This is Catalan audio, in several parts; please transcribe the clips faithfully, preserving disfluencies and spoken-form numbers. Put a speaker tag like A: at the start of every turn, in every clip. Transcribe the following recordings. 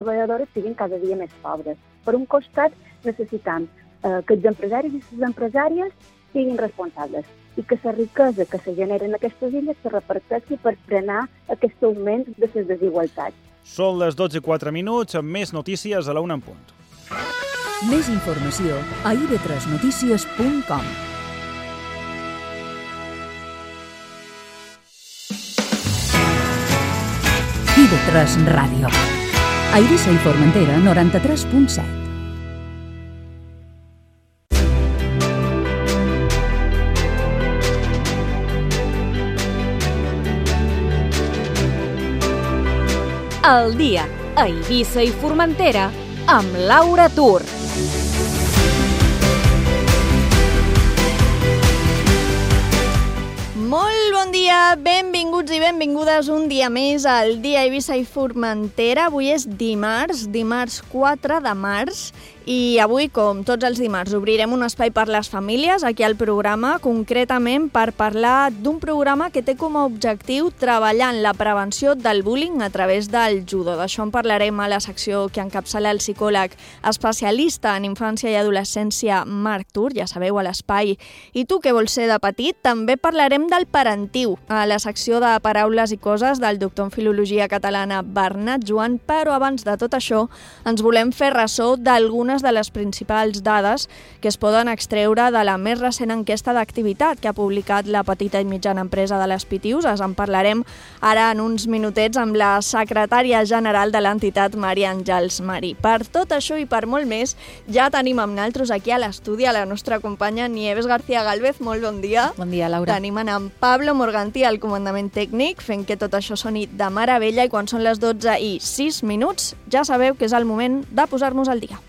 A: treballadores siguin cada dia més pobres. Per un costat, necessitam eh, que els empresaris i les empresàries siguin responsables i que la riquesa que se genera en aquestes illes se reparteixi per frenar aquest augment de les desigualtats.
B: Són les dotze i quatre minuts, amb més notícies a la una en punt.
C: Més informació a i ve tres notícies punt com. i ve tres Ràdio. A Eivissa i Formentera, noranta-tres punt set.
D: El dia a Eivissa i Formentera amb Laura Tur. Molt bon dia, benvinguts i benvingudes un dia més al dia a Eivissa i Formentera. Avui és dimarts, dimarts quatre de març, i avui, com tots els dimarts, obrirem un espai per les famílies aquí al programa, concretament per parlar d'un programa que té com a objectiu treballar en la prevenció del bullying a través del judo. D'això en parlarem a la secció que encapçala el psicòleg especialista en infància i adolescència Marc Tur, ja sabeu, a l'espai I tu què vols ser de petit? També parlarem del parentiu a la secció de paraules i coses del doctor en filologia catalana Bernat Joan, però abans de tot això ens volem fer ressò d'algunes de les principals dades que es poden extreure de la més recent enquesta d'activitat que ha publicat la petita i mitjana empresa de les Pitiuses. En parlarem ara en uns minutets amb la secretària general de l'entitat, Maria Àngels Marí. Per tot això i per molt més, ja tenim amb naltros aquí a l'estudi a la nostra companya Nieves García Gálvez. Molt bon dia.
E: Bon dia, Laura.
D: Tenim en Pablo Morgantí al comandament tècnic, fent que tot això soni de meravella, i quan són les dotze i sis minuts, ja sabeu que és el moment de posar-nos al dia.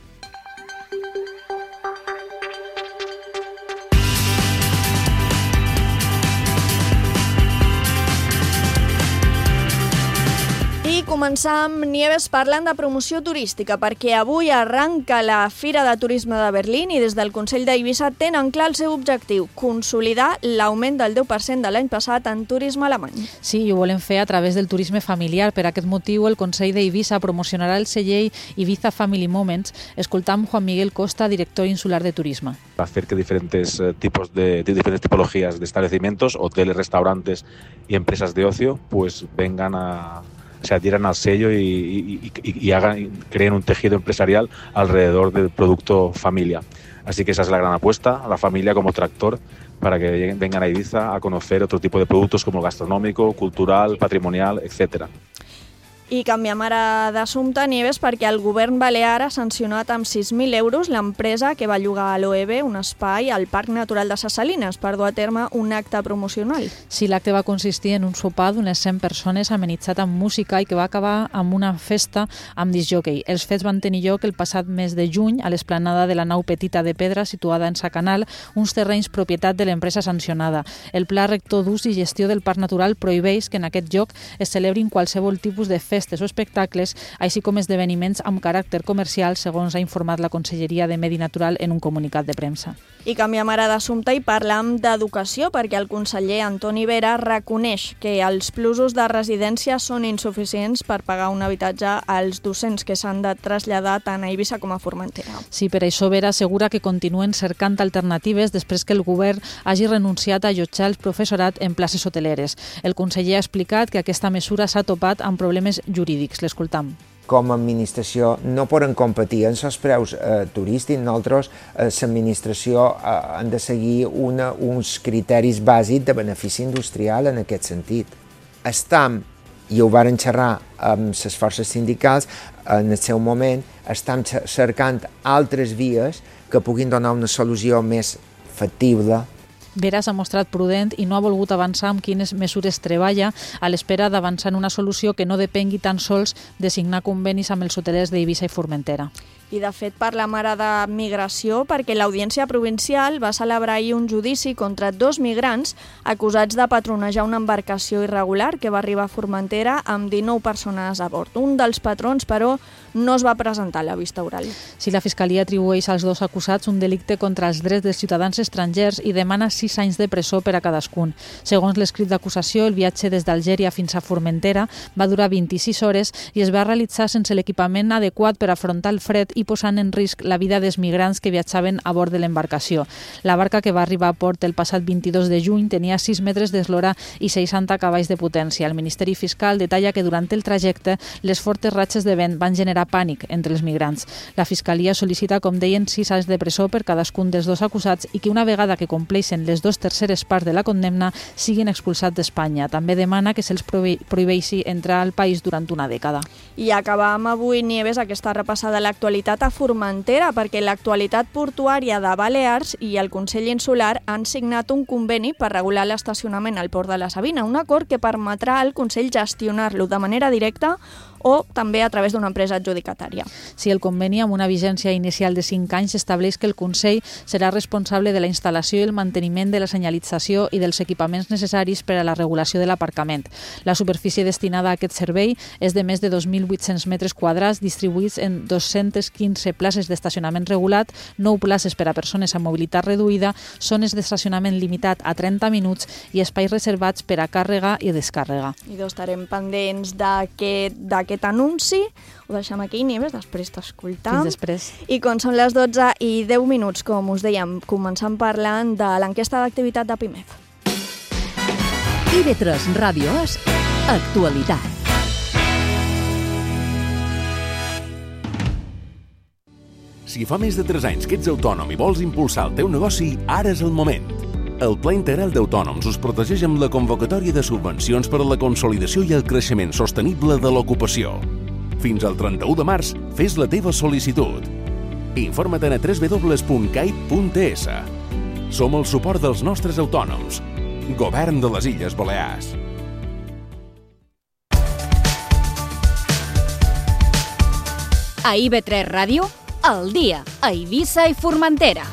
D: Començar amb Nieves parlant de promoció turística, perquè avui arranca la Fira de Turisme de Berlín i des del Consell d'Eivissa tenen clar el seu objectiu, consolidar l'augment del deu per cent de l'any passat en turisme alemany.
E: Sí, i ho volem fer a través del turisme familiar. Per aquest motiu, el Consell d'Eivissa promocionarà el celler Ibiza Family Moments, escoltant Juan Miguel Costa, director insular de turisme.
F: Hacer que diferentes eh, tipos de, de diferentes tipologías de establecimientos, hoteles, restaurantes y empresas de ocio, pues vengan a se adhieran al sello y, y, y, y hagan, creen un tejido empresarial alrededor del producto familia. Así que esa es la gran apuesta, a la familia como tractor, para que vengan a Ibiza a conocer otro tipo de productos como gastronómico, cultural, patrimonial, etcétera.
D: I canviem ara d'assumpte, Nieves, perquè el govern balear ha sancionat amb sis mil euros l'empresa que va llogar a l'O E B un espai al Parc Natural de Ses Salines per dur a terme un acte promocional.
E: Sí, l'acte va consistir en un sopar d'unes cent persones amenitzat amb música i que va acabar amb una festa amb discjòquei. Els fets van tenir lloc el passat mes de juny a l'esplanada de la nau petita de pedra situada en Sa Canal, uns terrenys propietat de l'empresa sancionada. El Pla Rector d'Ús i Gestió del Parc Natural prohibeix que en aquest lloc es celebrin qualsevol tipus de festa o espectacles, així com esdeveniments amb caràcter comercial, segons ha informat la Conselleria de Medi Natural en un comunicat de premsa.
D: I canviem ara d'assumpte i parlam d'educació, perquè el conseller Antoni Vera reconeix que els plusos de residència són insuficients per pagar un habitatge als docents que s'han de traslladar tant a Eivissa com a Formentera.
E: Sí, per això Vera assegura que continuen cercant alternatives després que el govern hagi renunciat a allotjar el professorat en places hoteleres. El conseller ha explicat que aquesta mesura s'ha topat amb problemes jurídics. L'escoltam.
G: Com a administració no poden competir en els preus eh, turístics. Nosaltres, eh, l'administració, eh, han de seguir una, uns criteris bàsics de benefici industrial en aquest sentit. Estam, i ho varen xerrar amb les forces sindicals, en el seu moment, estem cercant altres vies que puguin donar una solució més factible.
E: Vera s'ha mostrat prudent i no ha volgut avançar amb quines mesures treballa a l'espera d'avançar en una solució que no depengui tan sols de signar convenis amb els hotelers d'Eivissa i Formentera.
D: I, de fet, per la mare de migració, perquè l'Audiència Provincial va celebrar ahir un judici contra dos migrants acusats de patronejar una embarcació irregular que va arribar a Formentera amb dinou persones a bord. Un dels patrons, però, no es va presentar a la vista oral.
E: Si la Fiscalia atribueix als dos acusats un delicte contra els drets dels ciutadans estrangers i demana sis anys de presó per a cadascun. Segons l'escrit d'acusació, el viatge des d'Algèria fins a Formentera va durar vint-i-sis hores i es va realitzar sense l'equipament adequat per afrontar el fred i posant en risc la vida dels migrants que viatjaven a bord de l'embarcació. La barca, que va arribar a port el passat vint-i-dos de juny, tenia sis metres d'eslora i seixanta cavalls de potència. El Ministeri Fiscal detalla que durant el trajecte les fortes ratxes de vent van generar pànic entre els migrants. La Fiscalia sol·licita, com deien, sis anys de presó per cadascun dels dos acusats i que una vegada que compleixen les dues terceres parts de la condemna siguin expulsats d'Espanya. També demana que se'ls prohibeixi entrar al país durant una dècada.
D: I acabam avui, Nieves, aquesta repassada de l'actualitat a Formentera, perquè l'Actualitat Portuària de Balears i el Consell Insular han signat un conveni per regular l'estacionament al Port de la Sabina, un acord que permetrà al Consell gestionar-lo de manera directa o també a través d'una empresa adjudicatària.
E: Si el conveni, amb una vigència inicial de cinc anys, estableix que el Consell serà responsable de la instal·lació i el manteniment de la senyalització i dels equipaments necessaris per a la regulació de l'aparcament. La superfície destinada a aquest servei és de més de dos mil vuit-cents metres quadrats distribuïts en dos-centes quinze places d'estacionament regulat, nou places per a persones amb mobilitat reduïda, zones d'estacionament limitat a trenta minuts i espais reservats per a càrrega i descàrrega.
D: I estarem pendents d'aquest aquest anunci. Ho deixem aquí, Nieves, després t'escoltam.
E: Fins després.
D: I com són les dotze i deu minuts, com us dèiem, començant parlant de l'enquesta d'activitat de Pimef.
C: I V tres Ràdio és actualitat.
H: Si fa més de tres anys que ets autònom i vols impulsar el teu negoci, ara és el moment. El Pla Integral d'Autònoms us protegeix amb la convocatòria de subvencions per a la consolidació i el creixement sostenible de l'ocupació. Fins al trenta-u de març, fes la teva sol·licitud. Informa't a w w w punt cai punt t s. Som el suport dels nostres autònoms. Govern de les Illes Balears.
C: A I V tres Ràdio, al dia, a Eivissa i Formentera.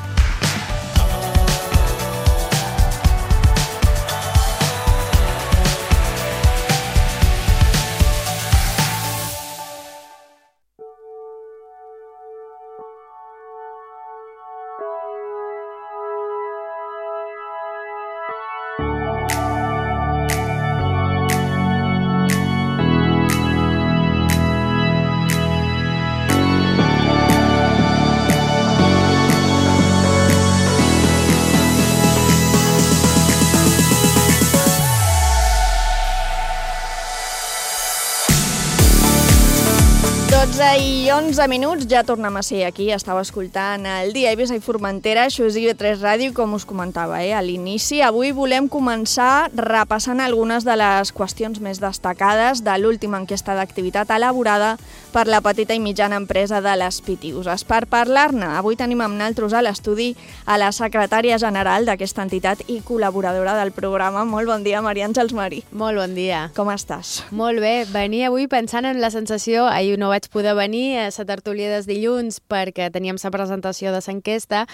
D: dotze i onze minuts, ja tornem a ser aquí. Estava escoltant el dia a Eivissa i Formentera, això és I V tres Ràdio, com us comentava eh, a l'inici. Avui volem començar repassant algunes de les qüestions més destacades de l'última enquesta d'activitat elaborada per la petita i mitjana empresa de les Pitiuses. Per parlar-ne, avui tenim amb naltros a l'estudi a la secretària general d'aquesta entitat i col·laboradora del programa. Molt bon dia, Maria Àngels Marí.
I: Molt bon dia.
D: Com estàs?
I: Molt bé. Venia avui pensant en la sensació, ahir no vaig poder venir a la tertúlia dels dilluns perquè teníem la presentació de l'enquesta,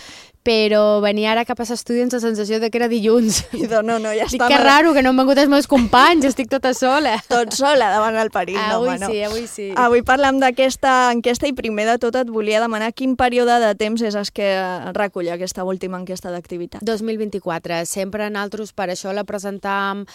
I: però venia ara cap a l'estudi amb la sensació de que era dilluns.
D: I de, no, no, ja
I: Dic
D: està.
I: que raro, que no han vengut els meus companys, estic tota sola.
D: Tot sola davant el perill.
I: Avui
D: no,
I: sí,
D: no.
I: avui sí.
D: Avui parlem d'aquesta enquesta i primer de tot et volia demanar quin període de temps és el que recull aquesta última enquesta d'activitat.
I: dos mil vint-i-quatre. Sempre nosaltres per això la presentàvem,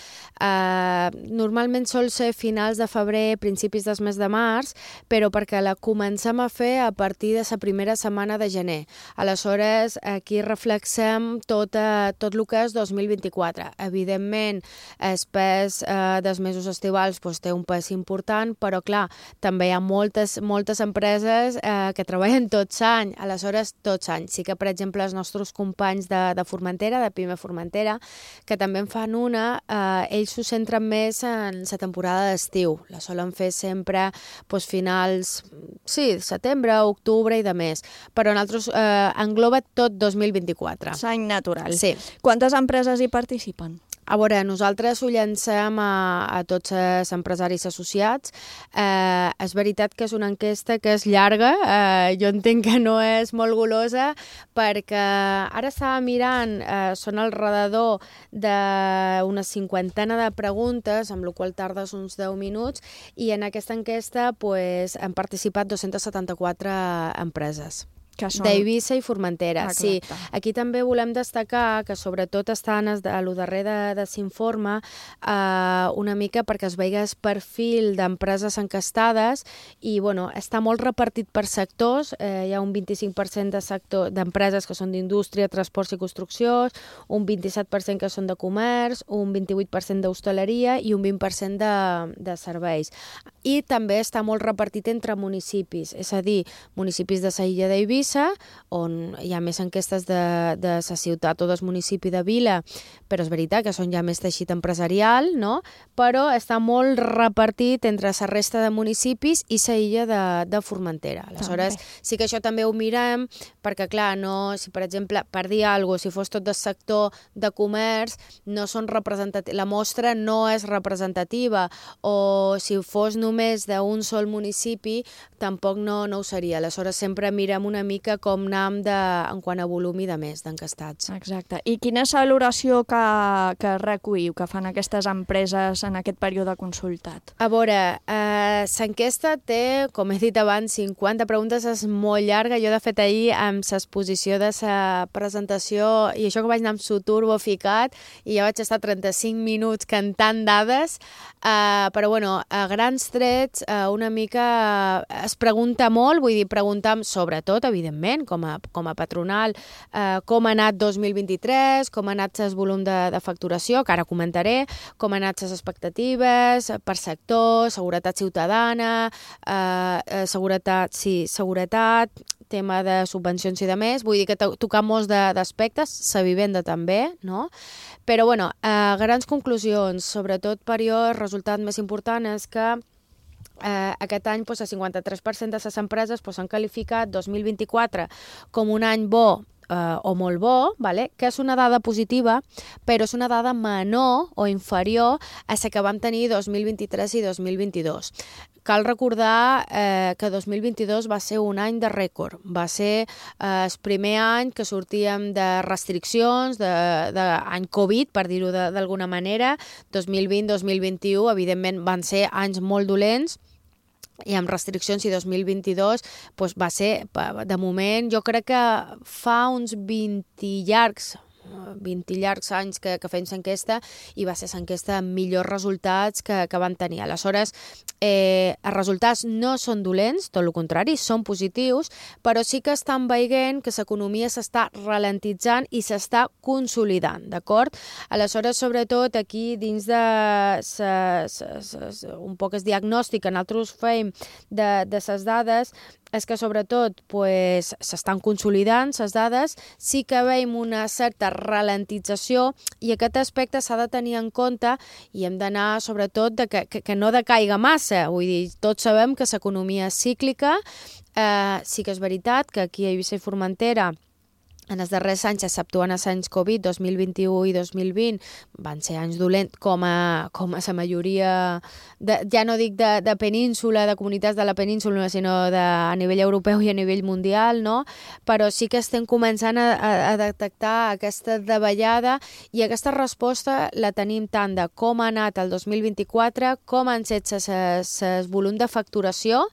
I: eh, normalment sol ser finals de febrer, principis del mes de març, però perquè la comencem a fer a partir de la primera setmana de gener. Aleshores, aquí reflexem tot, eh, tot el que és dos mil vint-i-quatre. Evidentment, el pes eh, dels mesos estivals doncs, té un pes important, però clar, també hi ha moltes, moltes empreses eh, que treballen tot l'any, aleshores tot l'any. Sí que, per exemple, els nostres companys de, de Formentera, de Pime Formentera, que també en fan una, eh, ells s'ho centren més en la temporada d'estiu. La solen fer sempre doncs, finals, sí, setembre, octubre i de més. Però nosaltres eh, engloba tot dos mil vint-i-quatre.
D: L'any natural.
I: Sí.
D: Quantes empreses hi participen?
I: A veure, nosaltres ho llancem a, a tots els empresaris associats. Eh, és veritat que és una enquesta que és llarga, eh, jo entenc que no és molt golosa, perquè ara estava mirant, eh, són al redador d'una cinquantena de preguntes, amb la qual tardes uns deu minuts, i en aquesta enquesta pues, han participat dos-centes setanta-quatre empreses. Són... d'Eivissa i Formentera. Ah, sí. Aquí també volem destacar que sobretot estan a lo darrer de s'informe eh, una mica perquè es vegi el perfil d'empreses encastades i bueno, està molt repartit per sectors. Eh, hi ha un vint-i-cinc per cent de sector d'empreses que són d'indústria, transports i construcció, un vint-i-set per cent que són de comerç, un vint-i-vuit per cent d'hostaleria i un vint per cent de, de serveis. I també està molt repartit entre municipis, és a dir, municipis de la illa d'Eivissa, on hi ha més enquestes de, de la ciutat o del municipi de Vila, però és veritat que són ja més teixit empresarial, no? Però està molt repartit entre la resta de municipis i la illa de, de Formentera. Aleshores, també. Sí que això també ho mirem, perquè clar, no, si per exemple, per dir alguna cosa, si fos tot del sector de comerç, no són representatius, la mostra no és representativa, o si fos només d'un sol municipi, tampoc no, no ho seria. Aleshores, sempre mirem una mica com anam de, en quant a volum i de més d'encastats.
D: Exacte. I quina és la valoració que, que recolliu, que fan aquestes empreses en aquest període consultat?
I: A veure, eh, l'enquesta té, com he dit abans, cinquanta preguntes, és molt llarga. Jo, de fet, ahir, amb l'exposició de la presentació, i això que vaig anar amb su turbo ficat, i ja vaig estar trenta-cinc minuts cantant dades, eh, però, bueno, a grans trets, eh, una mica es pregunta molt, vull dir, preguntam sobretot, evidentment, com a, com a patronal, eh, com ha anat dos mil vint-i-tres, com ha anat el volum de, de facturació, que ara comentaré, com han anat les expectatives per sector, seguretat ciutadana, eh, seguretat, sí, seguretat, tema de subvencions i de més, vull dir que tocar molts d'aspectes, la vivenda també, no? Però, bueno, eh, grans conclusions, sobretot per jo, el resultat més important és que Eh, aquest any pues, el cinquanta-tres per cent de les empreses pues, han qualificat dos mil vint-i-quatre com un any bo eh, o molt bo, vale? Que és una dada positiva, però és una dada menor o inferior a la que vam tenir dos mil vint-i-tres i dos mil vint-i-dos. Cal recordar eh, que dos mil vint-i-dos va ser un any de rècord. Va ser eh, el primer any que sortíem de restriccions, d'any Covid, per dir-ho d'alguna manera. dos mil vint dos mil vint-i-u, evidentment, van ser anys molt dolents, i amb restriccions, i dos mil vint-i-dos doncs va ser, de moment, jo crec que fa uns vint llargs, vint llargs anys que, que fem l'enquesta, i va ser l'enquesta amb millors resultats que, que van tenir. Aleshores, eh, els resultats no són dolents, tot el contrari, són positius, però sí que estan veient que l'economia s'està ralentitzant i s'està consolidant, d'acord? Aleshores, sobretot, aquí dins de sa, sa, sa, un poc el diagnòstic que nosaltres fem de, de les dades, és que sobretot pues, s'estan consolidant les dades, sí que veiem una certa ralentització, i aquest aspecte s'ha de tenir en compte i hem d'anar sobretot de que, que, que no decaiga massa. Vull dir, tots sabem que l'economia és cíclica, eh, sí que és veritat que aquí a Eivissa i Formentera en els darrers anys, exceptuant els anys Covid, dos mil vint-i-u i dos mil vint, van ser anys dolents com a, com a la majoria, de, ja no dic de, de península, de comunitats de la península, sinó de, a nivell europeu i a nivell mundial, no? Però sí que estem començant a, a detectar aquesta davallada, i aquesta resposta la tenim tant de com ha anat el dos mil vint-i-quatre, com han set el volum de facturació,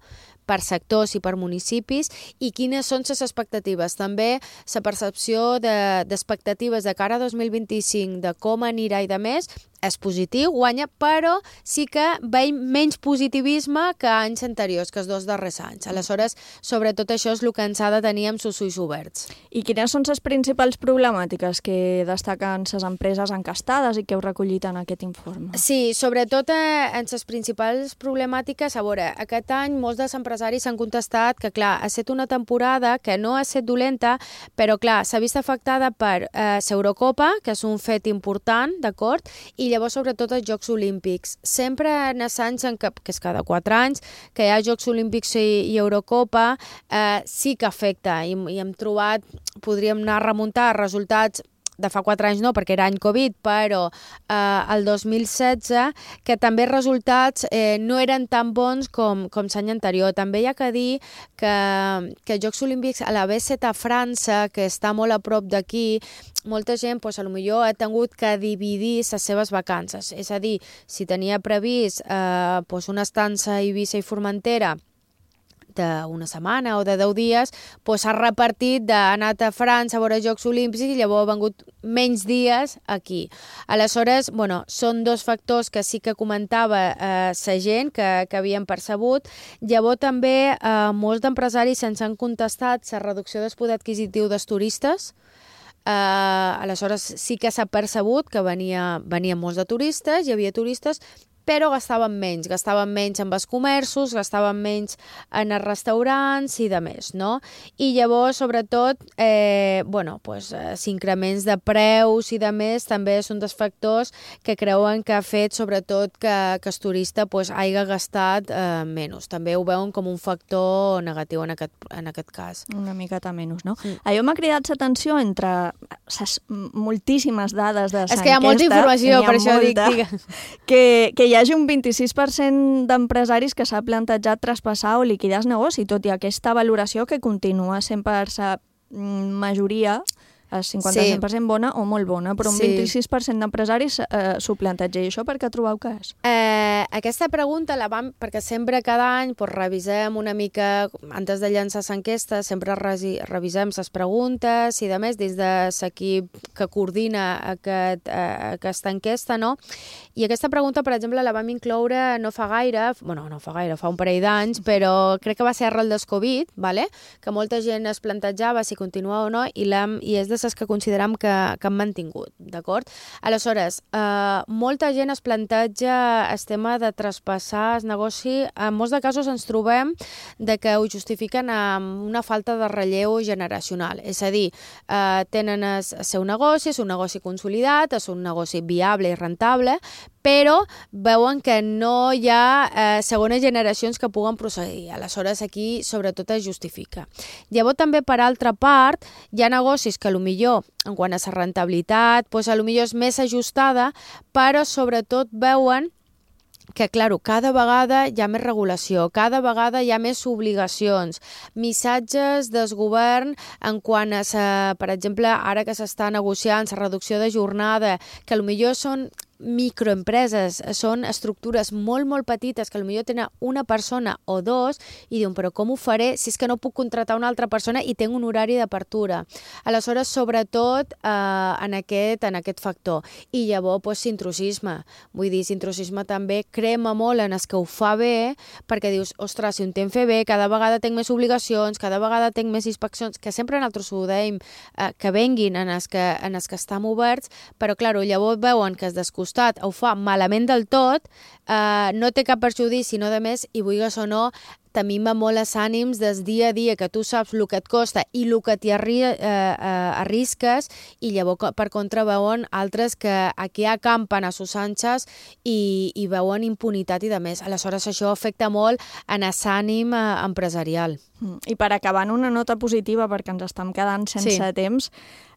I: per sectors i per municipis, i quines són les expectatives. També la percepció d'expectatives de, de cara a dos mil vint-i-cinc, de com anirà i de més, és positiu, guanya, però sí que veiem menys positivisme que anys anteriors, que els dos darrers anys. Aleshores, sobretot això és el que ens ha de tenir amb els ulls oberts.
D: I quines són les principals problemàtiques que destaquen les empreses encastades i que heu recollit en aquest informe?
I: Sí, sobretot eh, en les principals problemàtiques, a veure, aquest any molts dels empresaris han contestat que, clar, ha estat una temporada que no ha estat dolenta, però, clar, s'ha vist afectada per eh, l'Eurocopa, que és un fet important, d'acord? I i llavors sobretot els Jocs Olímpics. Sempre en els anys, en que, que és cada quatre anys, que hi ha Jocs Olímpics i, i Eurocopa, eh, sí que afecta, i, i hem trobat, podríem anar a remuntar resultats de fa quatre anys no, perquè era any Covid, però eh, el dos mil setze, que també els resultats eh, no eren tan bons com, com l'any anterior. També hi ha que dir que, que els Jocs Olímpics a la B set a França, que està molt a prop d'aquí, molta gent pues, potser ha tingut que dividir les seves vacances. És a dir, si tenia previst eh, pues, una estança a Eivissa i Formentera d'una setmana o de deu dies, pues s'ha repartit d'anar a França a veure Jocs Olímpics i llavors ha vengut menys dies aquí. Aleshores, bueno, són dos factors que sí que comentava eh, la gent que, que havien percebut. Llavors també eh, molts d'empresaris se'ns han contestat la reducció del poder adquisitiu dels turistes. Uh, aleshores sí que s'ha percebut que venia, venien molts de turistes, hi havia turistes, però gastaven menys, gastaven menys en els comerços, gastaven menys en els restaurants i de més, no? I llavors, sobretot, eh, bueno, pues, eh, increments de preus i de més també són dels factors que creuen que ha fet, sobretot, que, que el turista pues, hagi gastat eh, menys. També ho veuen com un factor negatiu en aquest, en aquest cas.
D: Una miqueta menys, no?
I: Mm.
D: Allò m'ha cridat l'atenció entre ses moltíssimes dades de l'enquesta.
I: És que hi ha molta informació, per això dic, digue.
D: Que, que hi hagi un vint-i-sis per cent d'empresaris que s'ha plantejat traspassar o liquidar el negoci, tot i aquesta valoració que continua sent per la majoria el cinquanta-cinc per cent sí. bona o molt bona, però un sí. vint-i-sis per cent d'empresaris eh, s'ho planteja. I això per què trobeu que és?
I: Eh, aquesta pregunta la vam, perquè sempre cada any pues, revisem una mica, antes de llançar l'enquesta, sempre resi, revisem les preguntes i de més dins de l'equip que coordina aquest, eh, aquesta enquesta, no? I aquesta pregunta, per exemple, la vam incloure no fa gaire, bueno, no fa gaire, fa un parell d'anys, però crec que va ser arrel del Covid, vale? Que molta gent es plantejava si continua o no, i, i és de les que considerem que, que han mantingut, d'acord? Aleshores, eh, molta gent es planteja el tema de traspassar el negoci. En molts de casos ens trobem de que ho justifiquen amb una falta de relleu generacional. És a dir, eh, tenen el seu negoci, és un negoci consolidat, és un negoci viable i rentable, però veuen que no hi ha eh, segones generacions que puguen procedir. Aleshores, aquí, sobretot, es justifica. Llavors, també, per altra part, hi ha negocis que, millor, en quant a la rentabilitat, doncs, a lo millor és més ajustada, però, sobretot, veuen que, clar, cada vegada hi ha més regulació, cada vegada hi ha més obligacions, missatges del govern en quant a, sa, per exemple, ara que s'està negociant la reducció de jornada, que potser són microempreses, són estructures molt, molt petites que potser tenen una persona o dos i diuen, però com ho faré si és que no puc contratar una altra persona i tinc un horari d'apertura? Aleshores, sobretot eh, en, aquest, en aquest factor. I llavors, pues, intrusisme. Vull dir, intrusisme també crema molt en els que ho fa bé, perquè dius, ostres, si ho entenc fer bé, cada vegada tinc més obligacions, cada vegada tinc més inspeccions, que sempre nosaltres ho deim, eh, que venguin en els que, en els que estan oberts, però, clar, llavors veuen que es descostat ho fa malament del tot, eh, no té cap perjudici, sinó de més, i vulguis o no, t'amima molt els ànims des dia a dia, que tu saps el que et costa i el que t'hi arri eh, eh, arrisques, i llavors per contra veuen altres que aquí acampen a sus anxes i, i veuen impunitat i de més. Aleshores això afecta molt en l'ànim eh, empresarial.
D: I per acabar en una nota positiva, perquè ens estem quedant sense
I: sí.
D: temps,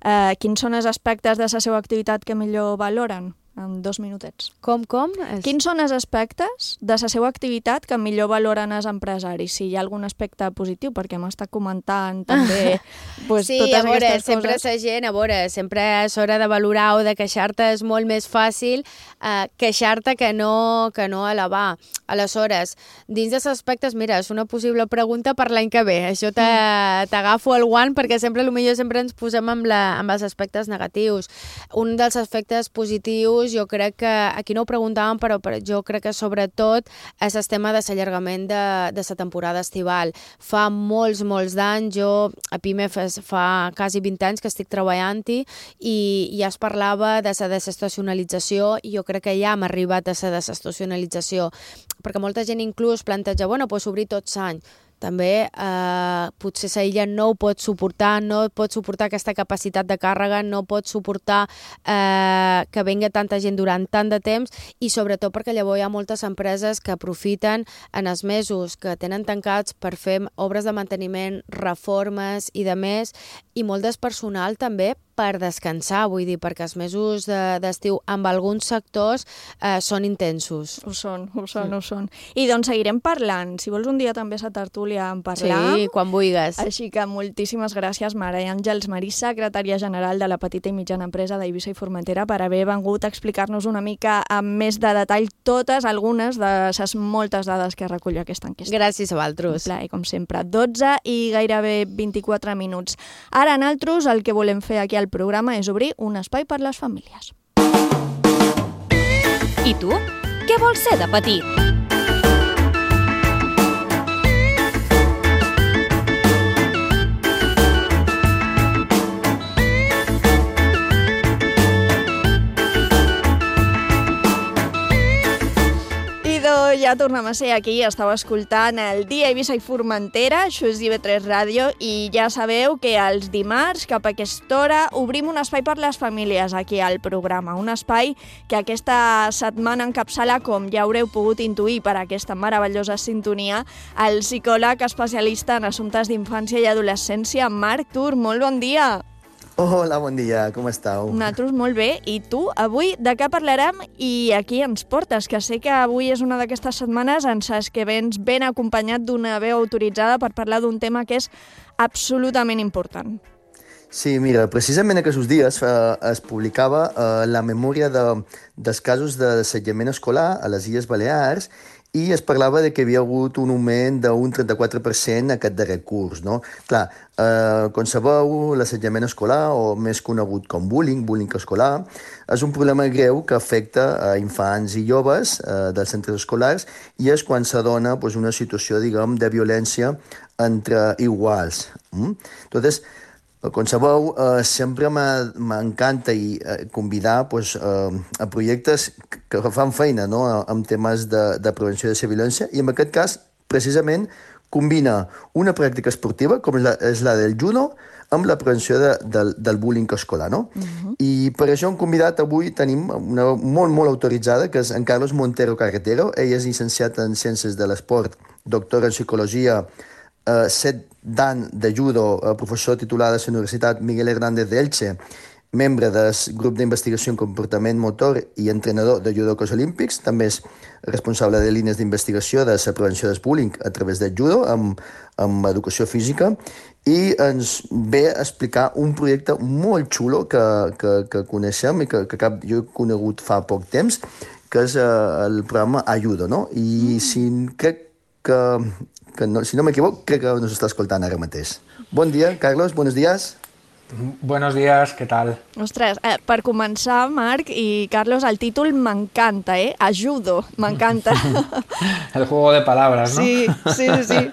D: eh, quins són els aspectes de la seva activitat que millor valoren? En dos minutets.
I: Com, com? Es...
D: Quins són els aspectes de la seva activitat que millor valoren els empresaris? Si hi ha algun aspecte positiu, perquè m'està comentant també pues,
I: sí,
D: totes
I: a veure,
D: aquestes
I: sempre
D: coses.
I: la gent, a veure, sempre és hora de valorar o de queixar-te, és molt més fàcil eh, queixar-te que no, que no elevar. Aleshores, dins dels aspectes, mira, és una possible pregunta per l'any que ve. Això t'agafo el guant perquè sempre, potser sempre ens posem amb, la, amb els aspectes negatius. Un dels aspectes positius jo crec que, aquí no ho preguntàvem, però, però jo crec que sobretot és el tema de l'allargament de, de la temporada estival. Fa molts, molts d'anys, jo a PIME fa, fa quasi vint anys que estic treballant-hi i ja es parlava de la desestacionalització i jo crec que ja hem arribat a la desestacionalització, perquè molta gent inclús planteja, bueno, pues obrir tot l'any. També eh, potser la illa no ho pot suportar, no pot suportar aquesta capacitat de càrrega, no pot suportar eh, que venga tanta gent durant tant de temps i sobretot perquè llavors hi ha moltes empreses que aprofiten en els mesos que tenen tancats per fer obres de manteniment, reformes i de més, i molt del personal també per descansar, vull dir, perquè els mesos d'estiu amb alguns sectors eh, són intensos.
D: Ho són, ho són, ho són. I doncs seguirem parlant. Si vols un dia també a tertúlia en parlar.
I: Sí, quan vulguis.
D: Així que moltíssimes gràcies, Mare Àngels Marís, secretària general de la petita i mitjana empresa d'Eivissa i Formentera, per haver vengut a explicar-nos una mica amb més de detall totes, algunes de les moltes dades que recull aquesta enquesta.
I: Gràcies a vosaltres.
D: Un plaer, com sempre. dotze i gairebé vint-i-quatre minuts. Ara, nosaltres, el que volem fer aquí al programa és obrir un espai per les famílies.
C: I tu? Què vols ser de petit?
D: Ja tornem a ser aquí, estàu escoltant el Dia Eivissa i Formentera, això és I V tres Ràdio, i ja sabeu que els dimarts, cap a aquesta hora, obrim un espai per les famílies aquí al programa, un espai que aquesta setmana encapçala, com ja haureu pogut intuir per aquesta meravellosa sintonia, el psicòleg especialista en assumptes d'infància i adolescència, Marc Tur. Molt bon dia!
J: Hola, bon dia, com estàu?
D: Nosaltres molt bé, i tu? Avui de què parlarem i aquí ens portes? Que sé que avui és una d'aquestes setmanes en saps que vens ben acompanyat d'una veu autoritzada per parlar d'un tema que és absolutament important.
J: Sí, mira, precisament aquests dies eh, es publicava eh, la memòria de, dels casos d'assetjament escolar a les Illes Balears i es parlava de que hi havia hagut un augment d'un trenta-quatre per cent aquest darrer curs, no? Clar, eh, com sabeu, l'assetjament escolar, o més conegut com bullying, bullying escolar, és un problema greu que afecta a infants i joves eh, dels centres escolars i és quan s'adona pues, una situació, diguem, de violència entre iguals. Mm? Entonces, com sabeu, eh, sempre m'encanta i eh, convidar pues, eh, a projectes que fan feina, no?, amb temes de, de prevenció de la violència, i en aquest cas, precisament, combina una pràctica esportiva, com és la, és la del judo, amb la prevenció de, del, del bullying escolar, no? Uh-huh. I per això hem convidat, avui tenim una molt, molt autoritzada, que és en Carlos Montero Carretero. Ell és llicenciat en Ciències de l'Esport, doctor en Psicologia, eh, set d'any de judo, eh, professor titular de la Universitat Miguel Hernández d'Elche, membre del grup d'investigació en comportament motor i entrenador de judocos olímpics. També és responsable de línies d'investigació de la prevenció del bullying a través del judo, amb, amb educació física, i ens ve a explicar un projecte molt xulo que, que, que coneixem i que, que cap, jo he conegut fa poc temps, que és uh, el programa Ayudo, no? I si crec que, que no, si no m'equivoc, crec que nos està escoltant ara mateix. Bon dia, Carlos, buenos días.
K: Buenos días, ¿qué tal?
D: Ostres, eh, per començar, Marc i Carlos, el títol m'encanta, eh? Ayudo, m'encanta.
K: El juego de palabras, ¿no?
D: Sí, sí, sí.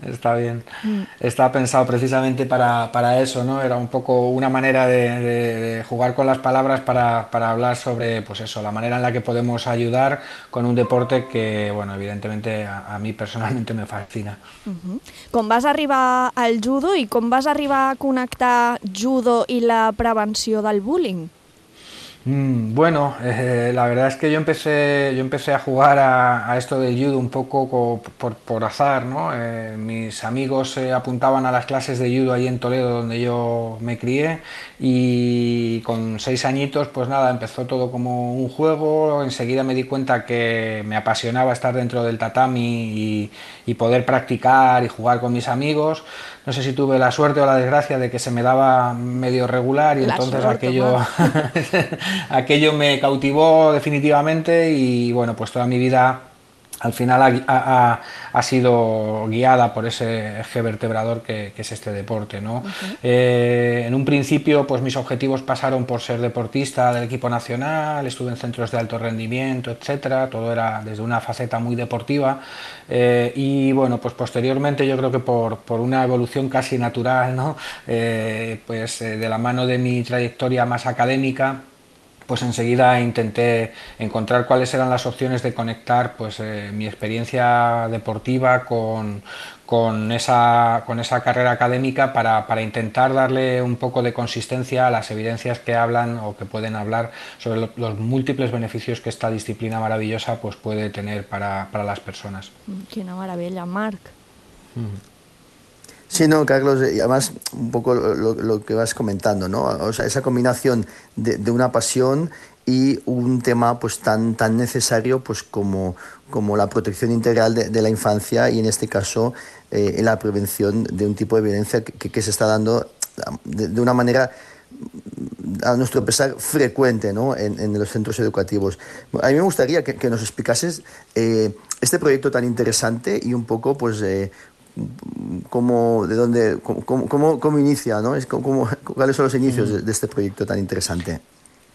K: Está bien. Mm. Está pensado precisamente para, para eso, ¿no? Era un poco una manera de, de, de jugar con las palabras para, para hablar sobre, pues eso, la manera en la que podemos ayudar con un deporte que, bueno, evidentemente a, a mí personalmente me fascina.
D: Uh-huh. Com vas arribar al judo i com vas arribar a connectar judo i la prevenció del bullying?
K: Mm, bueno, eh, la verdad es que yo empecé, yo empecé a jugar a, a esto del judo un poco por, por azar, ¿no? Eh, mis amigos se apuntaban a las clases de judo allí en Toledo, donde yo me crié, y con seis añitos, pues nada, empezó todo como un juego. Enseguida me di cuenta que me apasionaba estar dentro del tatami y, y poder practicar y jugar con mis amigos. No sé si tuve la suerte o la desgracia de que se me daba medio regular y la entonces suerte, aquello, aquello me cautivó definitivamente y bueno, pues toda mi vida al final ha, ha, ha sido guiada por ese eje vertebrador que, que es este deporte, ¿no? Uh-huh. Eh, en un principio, pues mis objetivos pasaron por ser deportista del equipo nacional, estuve en centros de alto rendimiento, etcétera, todo era desde una faceta muy deportiva, eh, y bueno, pues posteriormente yo creo que por, por una evolución casi natural, ¿no? Eh, pues eh, de la mano de mi trayectoria más académica, pues enseguida intenté encontrar cuáles eran las opciones de conectar pues, eh, mi experiencia deportiva con, con, esa, con esa carrera académica para, para intentar darle un poco de consistencia a las evidencias que hablan o que pueden hablar sobre lo, los múltiples beneficios que esta disciplina maravillosa pues, puede tener para, para las personas.
D: Quina meravella, Marc.
J: Mm. Sí, no, Carlos, y además un poco lo, lo que vas comentando, ¿no? O sea, esa combinación de, de una pasión y un tema pues tan, tan necesario pues como, como la protección integral de, de la infancia y en este caso eh, la prevención de un tipo de violencia que, que se está dando de, de una manera, a nuestro pesar, frecuente, ¿no? en, en los centros educativos. A mí me gustaría que, que nos explicases eh, este proyecto tan interesante y un poco pues eh, cómo, de dónde, cómo, cómo, cómo inicia, ¿no? Es cómo, cuáles son los inicios de, de este proyecto tan interesante.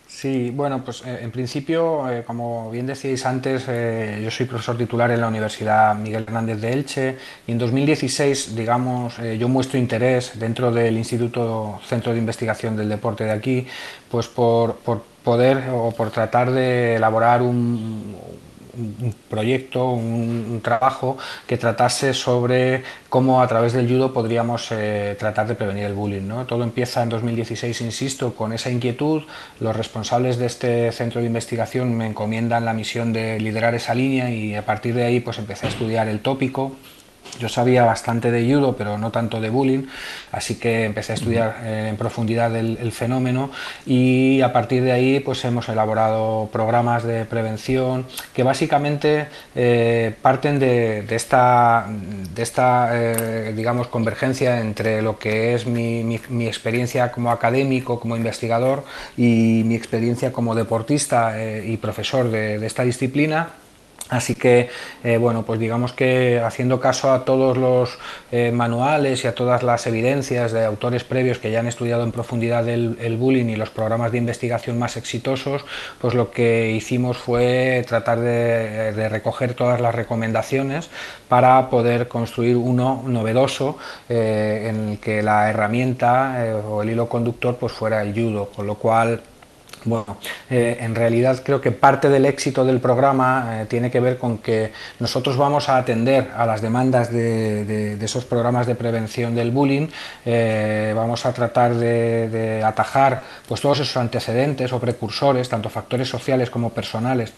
K: Sí, bueno, pues eh, en principio, eh, como bien decíais antes, eh, yo soy profesor titular en la Universidad Miguel Hernández de Elche y en dos mil dieciséis, digamos, eh, yo muestro interés dentro del Instituto Centro de Investigación del Deporte de aquí, pues por, por poder o por tratar de elaborar un, un proyecto, un, un trabajo que tratase sobre cómo a través del judo podríamos eh, tratar de prevenir el bullying, ¿no? Todo empieza en dos mil dieciséis, insisto, con esa inquietud. Los responsables de este centro de investigación me encomiendan la misión de liderar esa línea y a partir de ahí pues empecé a estudiar el tópico. Yo sabía bastante de judo, pero no tanto de bullying, así que empecé a estudiar eh, en profundidad el, el fenómeno y a partir de ahí pues hemos elaborado programas de prevención que básicamente eh, parten de, de esta, de esta eh, digamos, convergencia entre lo que es mi, mi, mi experiencia como académico, como investigador y mi experiencia como deportista eh, y profesor de, de esta disciplina. Así que, eh, bueno, pues digamos que haciendo caso a todos los eh, manuales y a todas las evidencias de autores previos que ya han estudiado en profundidad el, el bullying y los programas de investigación más exitosos, pues lo que hicimos fue tratar de, de recoger todas las recomendaciones para poder construir uno novedoso eh, en el que la herramienta eh, o el hilo conductor pues fuera el judo, con lo cual... Bueno, eh, en realidad creo que parte del éxito del programa eh, tiene que ver con que nosotros vamos a atender a las demandas de, de, de esos programas de prevención del bullying, eh, vamos a tratar de, de atajar pues todos esos antecedentes o precursores, tanto factores sociales como personales,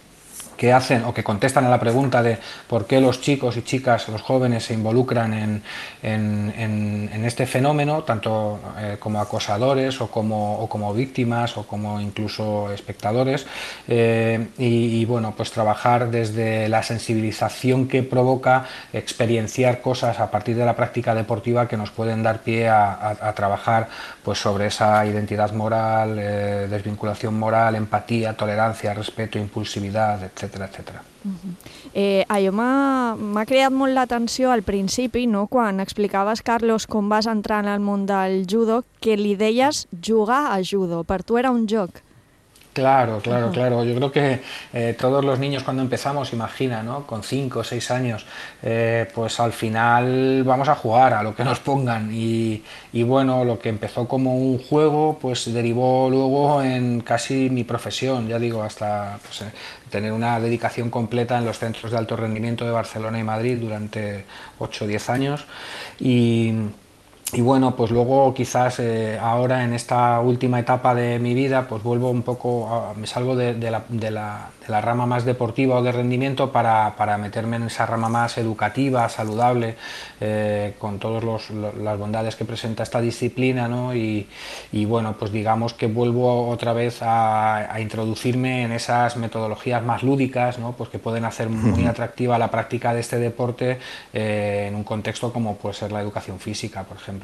K: que hacen o que contestan a la pregunta de por qué los chicos y chicas, los jóvenes se involucran en, en, en, en este fenómeno, tanto eh, como acosadores o como, o como víctimas o como incluso espectadores, eh, y, y bueno, pues trabajar desde la sensibilización que provoca experienciar cosas a partir de la práctica deportiva que nos pueden dar pie a, a, a trabajar pues sobre esa identidad moral, eh, desvinculación moral, empatía, tolerancia, respeto, impulsividad, etcètera, etcètera.
D: Uh-huh. eh, allò m'ha creat molt l'atenció al principi, no? Quan explicaves, Carlos, com vas entrar en el món del judo, que li deies jugar a judo. Per tu era un joc.
K: Claro, claro, claro. Yo creo que eh, todos los niños cuando empezamos, imagina, ¿no? Con cinco o seis años, eh, pues al final vamos a jugar a lo que nos pongan y, y bueno, lo que empezó como un juego, pues derivó luego en casi mi profesión, ya digo, hasta pues, eh, tener una dedicación completa en los centros de alto rendimiento de Barcelona y Madrid durante ocho o diez años y... Y bueno, pues luego quizás eh, ahora en esta última etapa de mi vida, pues vuelvo un poco, a, me salgo de, de, la, de, la, de la rama más deportiva o de rendimiento para, para meterme en esa rama más educativa, saludable, eh, con todas las bondades que presenta esta disciplina, ¿no? Y, y bueno, pues digamos que vuelvo otra vez a, a introducirme en esas metodologías más lúdicas, ¿no? Pues que pueden hacer muy atractiva la práctica de este deporte eh, en un contexto como puede ser la educación física, por ejemplo.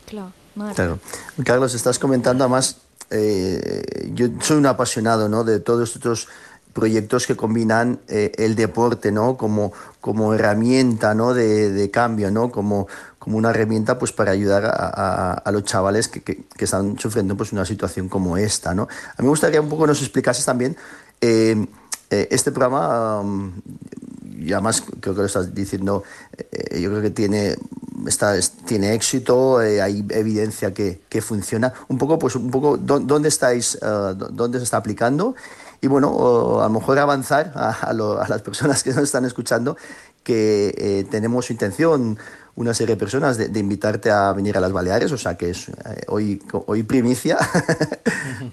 D: Claro,
J: claro. Carlos, estás comentando, además, eh, yo soy un apasionado, ¿no? De todos estos proyectos que combinan eh, el deporte, ¿no? Como, como herramienta, ¿no? de, de cambio, ¿no? Como, como una herramienta pues, para ayudar a, a, a los chavales que, que, que están sufriendo pues, una situación como esta, ¿no? A mí me gustaría un poco nos explicases también eh, eh, este programa, um, y además creo que lo estás diciendo, eh, yo creo que tiene... Está, tiene éxito, eh, hay evidencia que, que funciona. Un poco, pues, un poco, ¿dónde estáis, uh, dónde se está aplicando? Y bueno, uh, a lo mejor avanzar a, a, lo, a las personas que nos están escuchando que eh, tenemos intención, una serie de personas, de, de invitarte a venir a las Baleares, o sea que es eh, hoy, hoy primicia,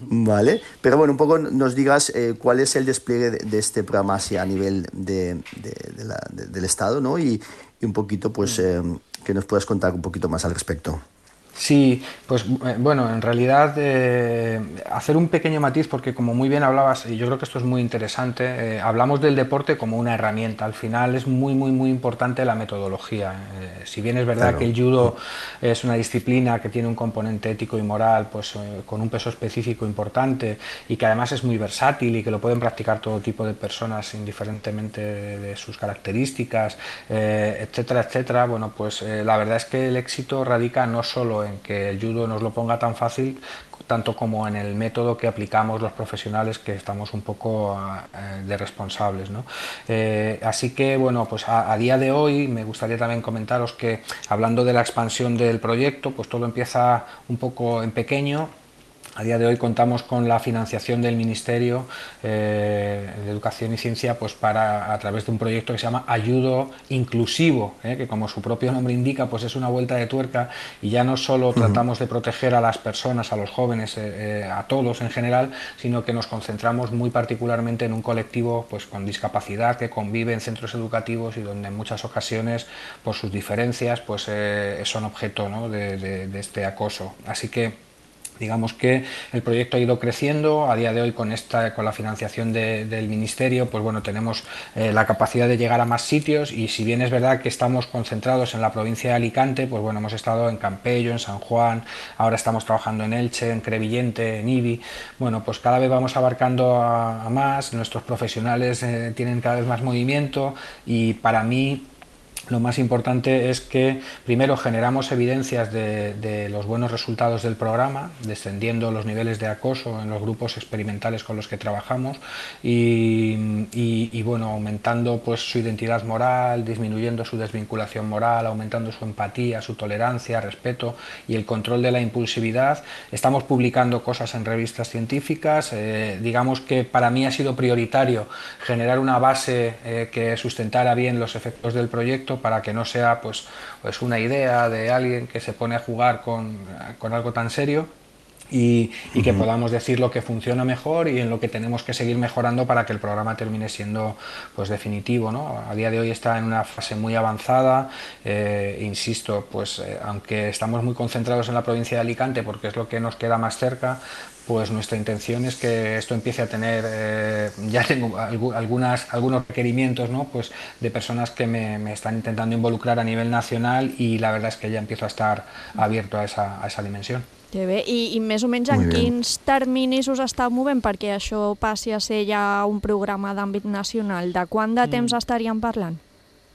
J: ¿vale? Pero bueno, un poco nos digas eh, cuál es el despliegue de, de este programa hacia a nivel de, de, de la, de, del Estado, ¿no? Y, y un poquito, pues... Eh, que nos puedas contar un poquito más al respecto.
K: Sí, pues bueno, en realidad eh, hacer un pequeño matiz, porque como muy bien hablabas, y yo creo que esto es muy interesante, eh, hablamos del deporte como una herramienta. Al final es muy, muy, muy importante la metodología. Eh, si bien es verdad claro. que el judo es una disciplina que tiene un componente ético y moral, pues eh, con un peso específico importante y que además es muy versátil y que lo pueden practicar todo tipo de personas indiferentemente de, de sus características, eh, etcétera, etcétera, bueno, pues eh, la verdad es que el éxito radica no solo en que el judo nos lo ponga tan fácil, tanto como en el método que aplicamos los profesionales, que estamos un poco eh, de responsables, ¿no? Eh, así que, bueno, pues a, a día de hoy me gustaría también comentaros que, hablando de la expansión del proyecto, pues todo empieza un poco en pequeño. A día de hoy contamos con la financiación del Ministerio eh, de Educación y Ciencia, pues para, a través de un proyecto que se llama Ayudo Inclusivo, eh, que como su propio nombre indica, pues es una vuelta de tuerca, y ya no solo uh-huh. tratamos de proteger a las personas, a los jóvenes, eh, eh, a todos en general, sino que nos concentramos muy particularmente en un colectivo pues con discapacidad que convive en centros educativos y donde en muchas ocasiones, por sus diferencias, pues eh, son objeto, ¿no? de, de, de este acoso. Así que digamos que el proyecto ha ido creciendo. A día de hoy, con esta, con la financiación de, del Ministerio, pues bueno, tenemos eh, la capacidad de llegar a más sitios, y si bien es verdad que estamos concentrados en la provincia de Alicante, pues bueno, hemos estado en Campello, en San Juan, ahora estamos trabajando en Elche, en Crevillente, en Ibi. Bueno, pues cada vez vamos abarcando a, a más, nuestros profesionales eh, tienen cada vez más movimiento, y para mí lo más importante es que primero generamos evidencias de, de los buenos resultados del programa, descendiendo los niveles de acoso en los grupos experimentales con los que trabajamos, y, y, y bueno, aumentando pues su identidad moral, disminuyendo su desvinculación moral, aumentando su empatía, su tolerancia, respeto y el control de la impulsividad. Estamos publicando cosas en revistas científicas. Eh, digamos que para mí ha sido prioritario generar una base eh, que sustentara bien los efectos del proyecto, para que no sea pues, pues una idea de alguien que se pone a jugar con, con algo tan serio, y, y que uh-huh. podamos decir lo que funciona mejor y en lo que tenemos que seguir mejorando para que el programa termine siendo pues definitivo, ¿no? A día de hoy está en una fase muy avanzada, eh, insisto, pues eh, aunque estamos muy concentrados en la provincia de Alicante porque es lo que nos queda más cerca, pues nuestra intención es que esto empiece a tener, eh, ya tengo algunas, algunos requerimientos, ¿no? Pues de personas que me, me están intentando involucrar a nivel nacional, y la verdad es que ya empiezo a estar abierto a esa, a esa dimensión.
D: Que bé. I, i més o menys en quins terminis us estàu movent perquè això passi a ser ja un programa d'àmbit nacional? De quant de temps mm. estaríem parlant?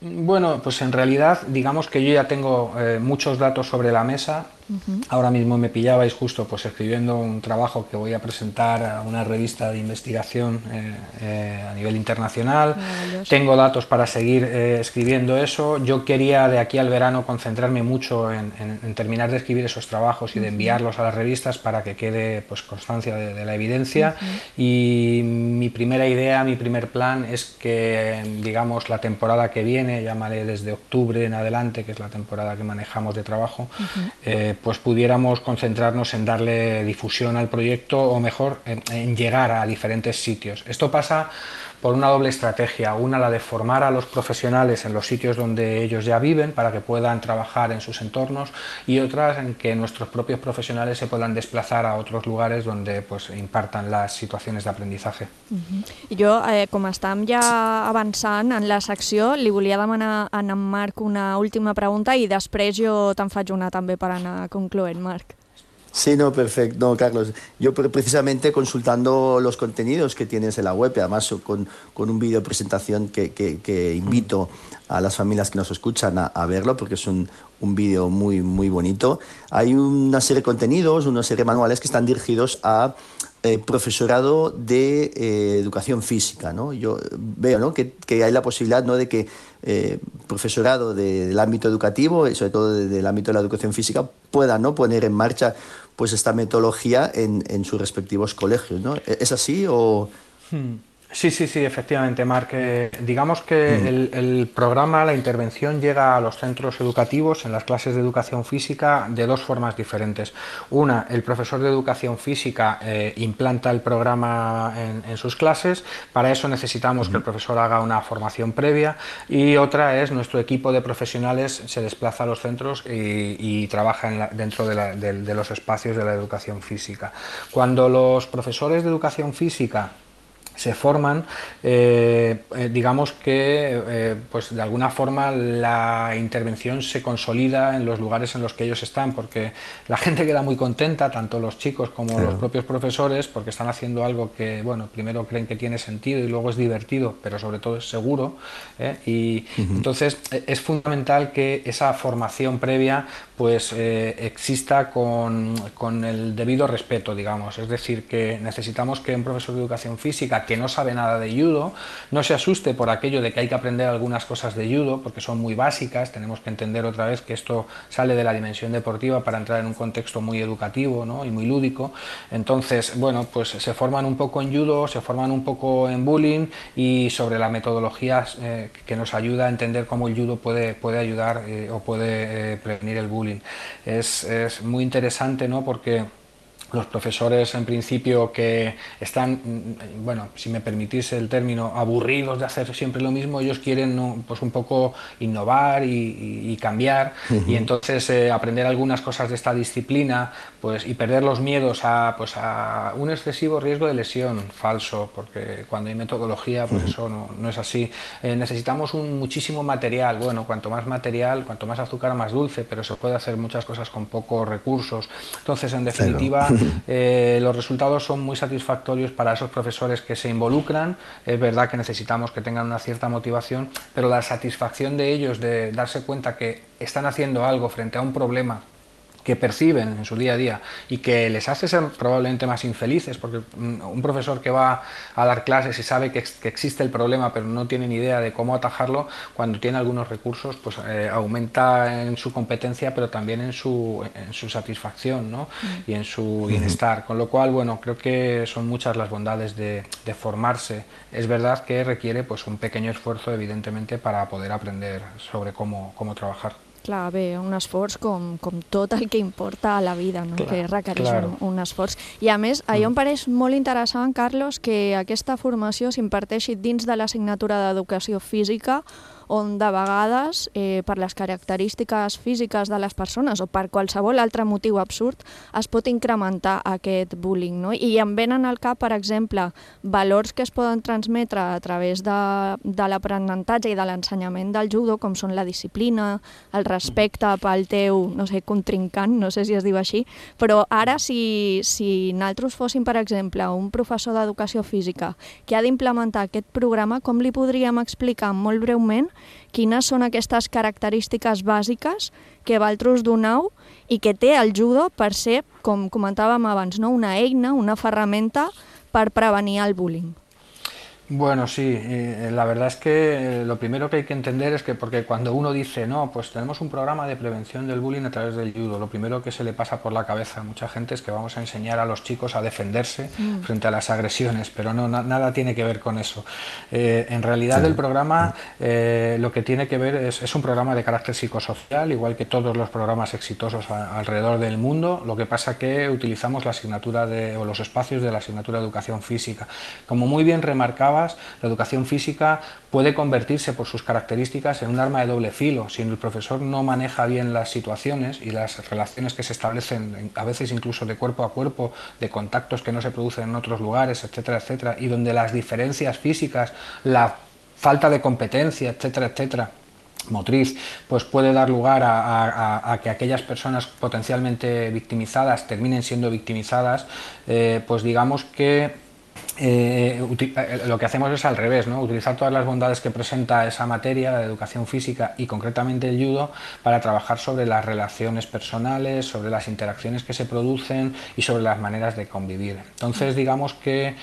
K: Bueno, pues en realidad, digamos que yo ya tengo eh, muchos datos sobre la mesa. Uh-huh. Ahora mismo me pillabais justo pues escribiendo un trabajo que voy a presentar a una revista de investigación eh, eh, a nivel internacional. Tengo datos para seguir eh, escribiendo eso. Yo quería de aquí al verano concentrarme mucho en, en, en terminar de escribir esos trabajos y de enviarlos a las revistas para que quede pues constancia de, de la evidencia. Uh-huh. Y mi primera idea, mi primer plan es que, digamos, la temporada que viene, llámale desde octubre en adelante, que es la temporada que manejamos de trabajo, uh-huh. eh, pues pudiéramos concentrarnos en darle difusión al proyecto, o mejor, en, en llegar a diferentes sitios. Esto pasa por una doble estrategia: una, la de formar a los profesionales en los sitios donde ellos ya viven para que puedan trabajar en sus entornos, y otra en que nuestros propios profesionales se puedan desplazar a otros lugares donde pues impartan las situaciones de aprendizaje.
D: Uh-huh. Jo, eh, com estàvem ja avançant en la secció, li volia demanar a en Marc una última pregunta i després jo te'n faig una també per anar concloent, Marc.
J: Sí, no, perfecto, no, Carlos. Yo precisamente consultando los contenidos que tienes en la web, y además con, con un vídeo presentación que, que, que invito a las familias que nos escuchan a, a verlo, porque es un, un vídeo muy, muy bonito. Hay una serie de contenidos, una serie de manuales que están dirigidos a eh, profesorado de eh, educación física, ¿no? Yo veo, ¿no?, que, que hay la posibilidad, ¿no?, de que eh, profesorado de, del ámbito educativo, y sobre todo de, del ámbito de la educación física, puedan, ¿no?, poner en marcha pues esta metodología en, en sus respectivos colegios, ¿no? ¿Es así o...?
K: Hmm. Sí, sí, sí, efectivamente, Marc. Eh, digamos que el, el programa, la intervención llega a los centros educativos en las clases de educación física de dos formas diferentes. Una, el profesor de educación física eh, implanta el programa en, en sus clases. Para eso necesitamos uh-huh. que el profesor haga una formación previa, y otra es nuestro equipo de profesionales se desplaza a los centros y, y trabaja en la, dentro de, la, de, de los espacios de la educación física. Cuando los profesores de educación física se forman, eh, eh, digamos que eh, pues de alguna forma la intervención se consolida en los lugares en los que ellos están, porque la gente queda muy contenta, tanto los chicos como claro. los propios profesores, porque están haciendo algo que, bueno, primero creen que tiene sentido y luego es divertido, pero sobre todo es seguro, ¿eh? y uh-huh. entonces es fundamental que esa formación previa pues eh, exista con, con el debido respeto, digamos, es decir, que necesitamos que un profesor de educación física que no sabe nada de judo no se asuste por aquello de que hay que aprender algunas cosas de judo, porque son muy básicas. Tenemos que entender otra vez que esto sale de la dimensión deportiva para entrar en un contexto muy educativo, ¿no? y muy lúdico. Entonces, bueno, pues se forman un poco en judo, se forman un poco en bullying y sobre la metodología eh, que nos ayuda a entender cómo el judo puede, puede ayudar eh, o puede eh, prevenir el bullying. Es, es muy interesante, ¿no? Porque los profesores, en principio, que están, bueno, si me permitís el término, aburridos de hacer siempre lo mismo, ellos quieren, ¿no? pues un poco innovar y, y, y cambiar, uh-huh. y entonces eh, aprender algunas cosas de esta disciplina, pues, y perder los miedos a, pues, a un excesivo riesgo de lesión falso, porque cuando hay metodología, pues uh-huh. eso no, no es así. Eh, necesitamos un muchísimo material. Bueno, cuanto más material, cuanto más azúcar, más dulce, pero se puede hacer muchas cosas con pocos recursos. Entonces, en definitiva, claro. Eh, los resultados son muy satisfactorios para esos profesores que se involucran. Es verdad que necesitamos que tengan una cierta motivación, pero la satisfacción de ellos de darse cuenta que están haciendo algo frente a un problema que perciben en su día a día y que les hace ser probablemente más infelices, porque un profesor que va a dar clases y sabe que, que existe el problema pero no tiene ni idea de cómo atajarlo, cuando tiene algunos recursos pues eh, aumenta en su competencia, pero también en su, en su satisfacción, ¿no? y en su bienestar, con lo cual, bueno, creo que son muchas las bondades de, de formarse. Es verdad que requiere pues un pequeño esfuerzo, evidentemente, para poder aprender sobre cómo, cómo trabajar.
D: Clar, bé, un esforç com, com tot el que importa a la vida, no? Clar, que requereix claro. un, un esforç. I a més, a mm. em pareix molt interessant, Carlos, que aquesta formació s'imparteixi dins de l'assignatura d'Educació Física, on de vegades, eh, per les característiques físiques de les persones o per qualsevol altre motiu absurd, es pot incrementar aquest bullying, no? I em venen al cap, per exemple, valors que es poden transmetre a través de, de l'aprenentatge i de l'ensenyament del judo, com són la disciplina, el respecte pel teu, no sé, contrincant, no sé si es diu així, però ara si, si nosaltres fóssim, per exemple, un professor d'educació física que ha d'implementar aquest programa, com li podríem explicar molt breument quines són aquestes característiques bàsiques que vosaltres doneu i que té el judo per ser, com comentàvem abans, no? una eina, una ferramenta per prevenir el bullying?
K: Bueno, sí, eh, la verdad es que lo primero que hay que entender es que, porque cuando uno dice, no, pues tenemos un programa de prevención del bullying a través del judo, lo primero que se le pasa por la cabeza a mucha gente es que vamos a enseñar a los chicos a defenderse mm. frente a las agresiones, pero no, na, nada tiene que ver con eso. Eh, en realidad el programa eh, lo que tiene que ver es, es un programa de carácter psicosocial, igual que todos los programas exitosos a, alrededor del mundo, lo que pasa que utilizamos la asignatura de, o los espacios de la asignatura de educación física. Como muy bien remarcaba, la educación física puede convertirse por sus características en un arma de doble filo. Si el profesor no maneja bien las situaciones y las relaciones que se establecen, a veces incluso de cuerpo a cuerpo, de contactos que no se producen en otros lugares, etcétera, etcétera, y donde las diferencias físicas, la falta de competencia, etcétera, etcétera, motriz, pues puede dar lugar a, a, a que aquellas personas potencialmente victimizadas terminen siendo victimizadas, eh, pues digamos que Eh, lo que hacemos es al revés, ¿no? Utilizar todas las bondades que presenta esa materia, la educación física y concretamente el judo, para trabajar sobre las relaciones personales, sobre las interacciones que se producen y sobre las maneras de convivir. Entonces, digamos que,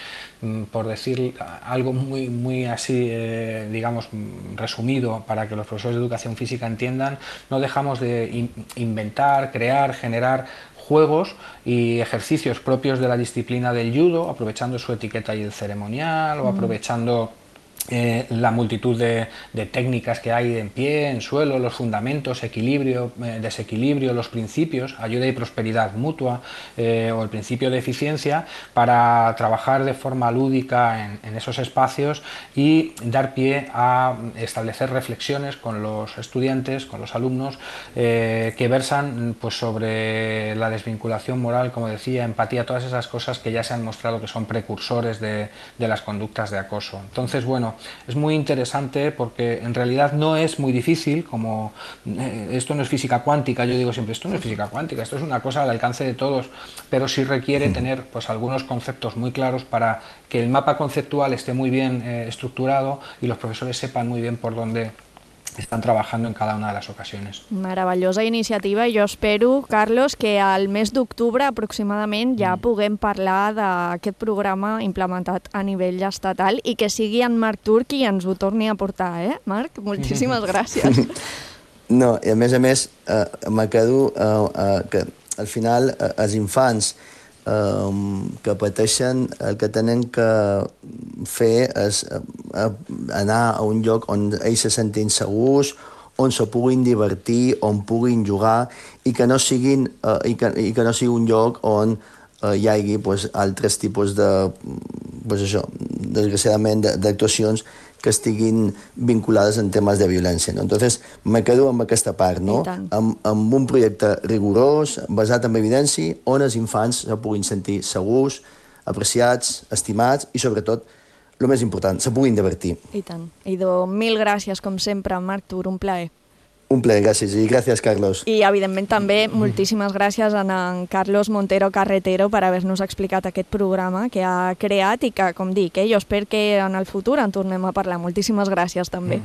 K: por decir algo muy, muy así, eh, digamos, resumido, para que los profesores de educación física entiendan, no dejamos de in- inventar, crear, generar juegos y ejercicios propios de la disciplina del judo, aprovechando su etiqueta y el ceremonial, o aprovechando Eh, la multitud de, de técnicas que hay en pie, en suelo, los fundamentos, equilibrio, eh, desequilibrio, los principios, ayuda y prosperidad mutua, eh, o el principio de eficiencia, para trabajar de forma lúdica en, en esos espacios y dar pie a establecer reflexiones con los estudiantes, con los alumnos, eh, que versan pues, sobre la desvinculación moral, como decía, empatía, todas esas cosas que ya se han mostrado que son precursores de, de las conductas de acoso. Entonces, bueno, es muy interesante porque en realidad no es muy difícil, como eh, esto no es física cuántica, yo digo siempre, esto no es física cuántica, esto es una cosa al alcance de todos, pero sí requiere tener pues, algunos conceptos muy claros para que el mapa conceptual esté muy bien eh, estructurado y los profesores sepan muy bien por dónde estan treballant en cada una de les ocasions.
D: Meravellosa iniciativa i jo espero, Carlos, que al mes d'octubre aproximadament ja puguem parlar d'aquest programa implementat a nivell estatal i que sigui en Marc Tur qui ens ho torni a portar, eh, Marc? Moltíssimes gràcies.
J: No, i a més a més, eh, me quedo eh, eh, que al final eh, els infants Um, que pateixen, el que tenen que fer és uh, anar a un lloc on ells se sentin segurs, on se puguin divertir, on puguin jugar i que no, siguin, uh, i que, i que no sigui un lloc on uh, hi hagi pues, altres tipus de, pues això, desgraciadament, d'actuacions que estiguin vinculades en temes de violència. No? Entonces, me quedo amb aquesta part, no? amb, amb un projecte rigorós, basat en evidència, on els infants se puguin sentir segurs, apreciats, estimats i, sobretot, el més important, se puguin divertir.
D: I tant. Idò, mil gràcies, com sempre, Marc Tur, un plaer.
J: Un plaer, gràcies, i gràcies, Carlos.
D: I, evidentment, també moltíssimes gràcies a en Carlos Montero Carretero per haver-nos explicat aquest programa que ha creat i que, com dic, eh, jo espero que en el futur en tornem a parlar. Moltíssimes gràcies, també.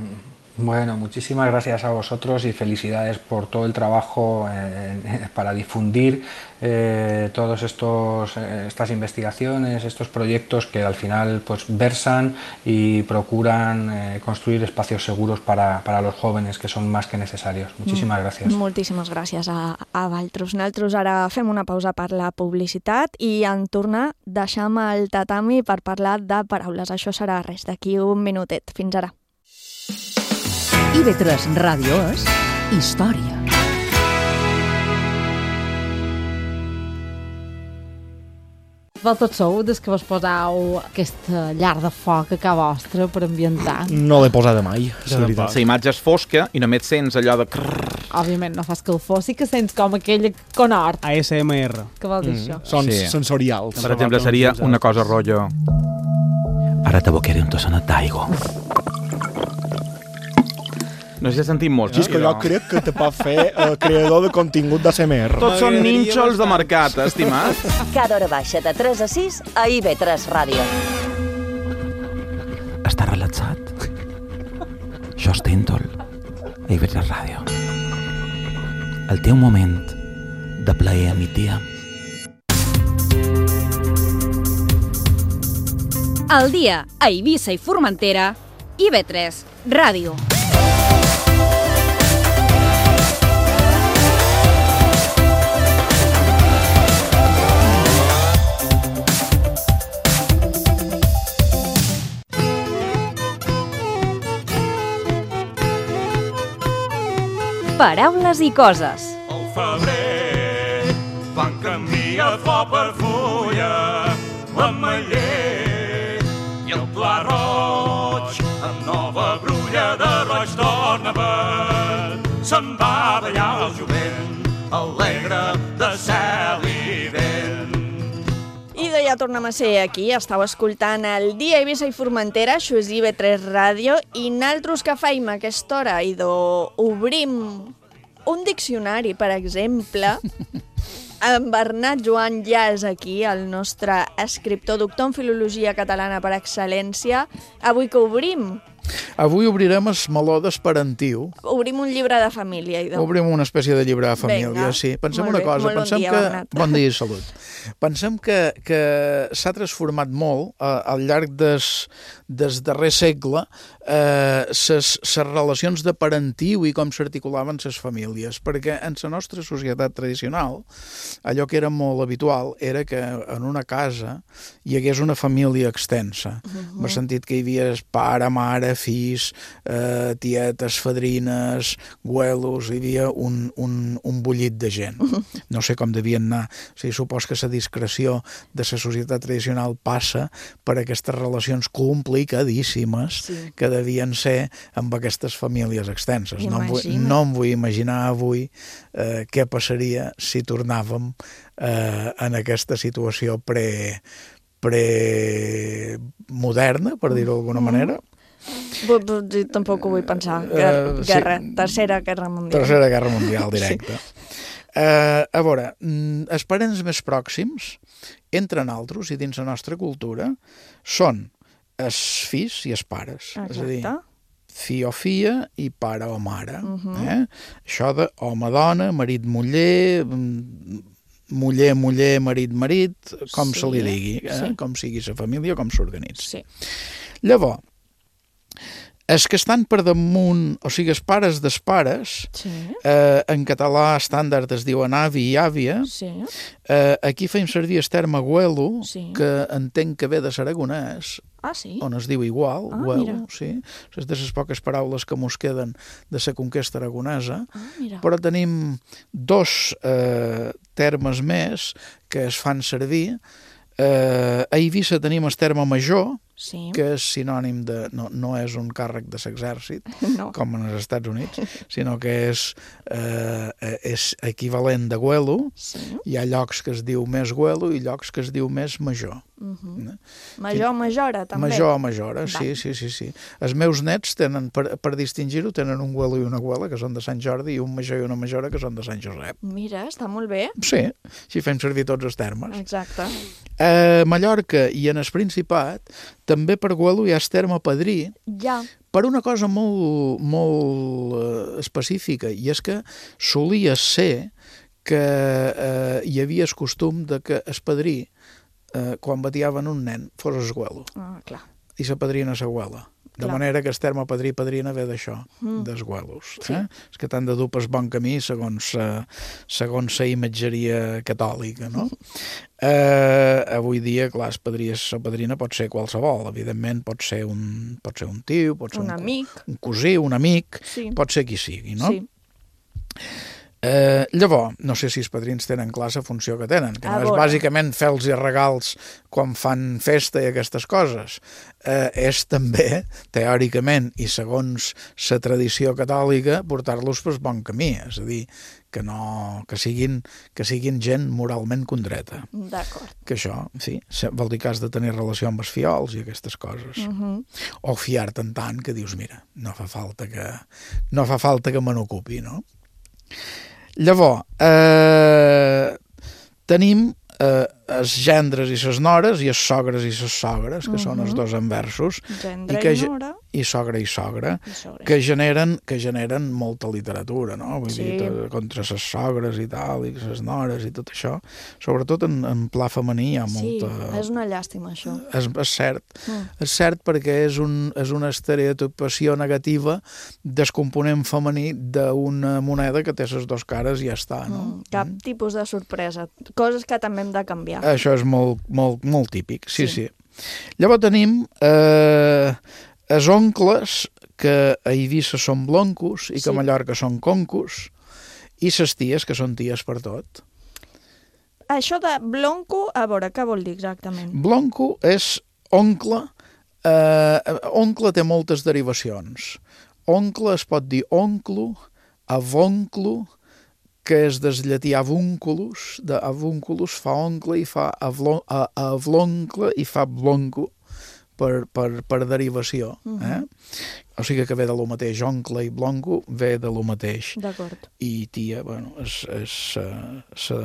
K: Bueno, muchísimas gracias a vosotros y felicidades por todo el trabajo eh, para difundir eh, todas eh, estas investigaciones, estos proyectos que al final pues, versan y procuran eh, construir espacios seguros para, para los jóvenes, que son más que necesarios. Muchísimas mm. gràcies.
D: Moltíssimes gràcies a, a Valtros. Nosaltres ara fem una pausa per la publicitat i en tornar deixam el tatami per parlar de paraules. Això serà res, d'aquí un minutet. Fins ara.
C: I V tres Ràdio és història.
E: Vosaltres sou des que vos posau aquesta llar de foc a casa vostra per ambientar?
L: No l'he posada mai, la veritat.
M: La imatge és fosca i només sents allò de...
E: Òbviament no fa escalfor, sí que sents com aquell conhort.
L: A S M R.
E: Què vol dir mm. això?
L: Són sí. sensorials.
M: Per exemple, seria una cosa rotllo... Ara t'abocaré un tossonet d'aigua. No sé si has sentit molt.
L: És que jo crec que te pot fer eh, creador de contingut d'A S M R.
M: Tots són nínxols de mercat, estimat.
N: Cada hora baixa de tres a sis a I V tres Ràdio.
H: Està relaxat? Això és Tintol, a I V tres Ràdio. El teu moment de plaer a migdia.
O: Al dia a Eivissa i Formentera, I V tres Ràdio. Paraules i coses.
P: Al febrer van canviar flor per fulla, l'ametller i el pla roig, amb nova brulla de roig torna verd. Se'n va ballar el jovent, alegre de cel i vent.
D: I de ja tornem a ser aquí, estàu escoltant el Dia Eivissa i Formentera, això és I V tres Ràdio, i naltros que faim a aquesta hora, i obrim un diccionari, per exemple. En Bernat Joan ja és aquí, el nostre escriptor, doctor en Filologia Catalana per excel·lència. Avui que obrim
Q: Avui obrirem el meló d'esperantiu.
D: Obrim un llibre de família. Idò.
Q: Obrim una espècie de llibre de família,
D: Vinga.
Q: sí. Pensem
D: Molt
Q: una
D: bé.
Q: cosa,
D: Molt bon
Q: pensem
D: dia,
Q: que...
D: Bernat.
Q: Bon dia i salut. Pensem que, que s'ha transformat molt eh, al llarg des, des darrer segle eh, ses, ses relacions de parentiu i com s'articulaven ses famílies, perquè en la nostra societat tradicional allò que era molt habitual era que en una casa hi hagués una família extensa.
D: Uh-huh.
Q: M'ha sentit que hi havia pare, mare, fills, eh, tietes, fadrines, güelos, hi havia un, un, un bullit de gent. No sé com devien anar. O sigui, supos que la discreció de la societat tradicional passa per aquestes relacions complicadíssimes sí. que devien ser amb aquestes famílies extenses. No em, vull, no em vull imaginar avui eh, què passaria si tornàvem eh, en aquesta situació pre, pre-moderna, per dir-ho d'alguna manera.
D: Jo tampoc ho vull pensar. Guerra, uh, sí. guerra, tercera guerra mundial.
Q: Tercera guerra mundial, directe. Sí. Uh, a veure, els parents més pròxims, entre nosaltres i dins la nostra cultura, són els fills i els pares.
D: Exacte.
Q: És a dir, fill o filla i pare o mare.
D: Uh-huh.
Q: eh? Això de home-dona, marit-muller, muller-muller, marit-marit, com sí. se li digui, eh? sí. com sigui la família, com s'organitza.
D: Sí.
Q: Llavors, els que estan per damunt, o sigui, els pares dels pares, sí. eh, en català estàndard es diuen avi i àvia, sí. eh, aquí feim servir el terme güelo, sí. que entenc que ve de l'aragonès,
D: ah, sí?
Q: on es diu igual,
D: ah,
Q: güelo, sí. És de les poques paraules que mos queden de la conquesta aragonesa,
D: ah,
Q: però tenim dos eh, termes més que es fan servir. Eh, a Eivissa tenim el terme major, sí. que és sinònim de... No, no és un càrrec de l'exèrcit, no. com en els Estats Units, sinó que és, eh, és equivalent de güelo. Sí. Hi ha llocs que es diu més güelo i llocs que es diu més major.
D: Uh-huh. Major o majora, també?
Q: Major o majora, sí, sí, sí, sí. Els meus nets tenen, per, per distingir-ho, tenen un güelo i una güela, que són de Sant Jordi, i un major i una majora, que són de Sant Josep.
D: Mira, està molt bé.
Q: Sí, així fem servir tots els termes.
D: Exacte.
Q: A Mallorca i en el Principat, també per güelo hi ha el terme padrí,
D: ja.
Q: per una cosa molt, molt uh, específica, i és que solia ser que uh, hi havia el costum de que el padrí, uh, quan batiaven un nen, fos el güelo.
D: Ah, clar.
Q: I la padrina la güela. De clar. Manera que el terme padrí-padrina ve d'això, mm. dels güelos. Sí. Eh? És que t'han de dur pel bon camí segons uh, segons la imatgeria catòlica, no? Eh, avui dia, clar, el padrí o la padrina pot ser qualsevol, evidentment pot ser un, pot ser un tio, pot ser
D: un,
Q: un
D: amic,
Q: un cosí, un amic,
D: sí.
Q: pot ser qui sigui, no?
D: Sí.
Q: Eh, llavors, no sé si els padrins tenen clar la funció que tenen, que no és bàsicament fer-los regals quan fan festa i aquestes coses. Eh, és també, teòricament, i segons la tradició catòlica, portar-los pel bon camí, és a dir, que, no, que, siguin, que siguin gent moralment condreta.
D: D'acord.
Q: Que això, en fi, vol dir que has de tenir relació amb els fiols i aquestes coses.
D: Uh-huh.
Q: O fiar-te'n tant que dius, mira, no fa falta que, no fa falta que me n'ocupi, no? Llavors, eh, tenim eh, els gendres i les nores i els sogres i les sogres, que uh-huh. són els dos enversos,
D: gendre
Q: i, que,
D: i nora,
Q: i sogra i sogra,
D: I sogra.
Q: que generen, que generen molta literatura, no? Vull
D: sí.
Q: dir, tot, contra les sogres i tal, i les nores i tot això. Sobretot en, en pla femení hi ha molta...
D: Sí, és una llàstima, això.
Q: És, és cert.
D: Mm.
Q: És cert perquè és, un, és una estereotipació negativa del component femení d'una moneda que té les dues cares i ja està, no?
D: Mm. Cap mm. tipus de sorpresa. Coses que també hem de canviar.
Q: Això és molt, molt, molt típic, sí, sí. sí. Llavors tenim... Eh, els oncles, que a Eivissa són bloncos i que sí. a Mallorca són concos, i les ties, que són ties per tot.
D: Això de blonco, a veure, què vol dir exactament?
Q: Blonco és oncle. Eh, oncle té moltes derivacions. Oncle es pot dir onclo, avonclo, que és des llatí avunculus, de avunculus fa oncle i fa avloncle i fa blonco. per, per, per derivació. Eh? O sigui que ve de lo mateix, oncle i blonco ve de lo mateix.
D: D'acord.
Q: I tia, bueno, és, és sa,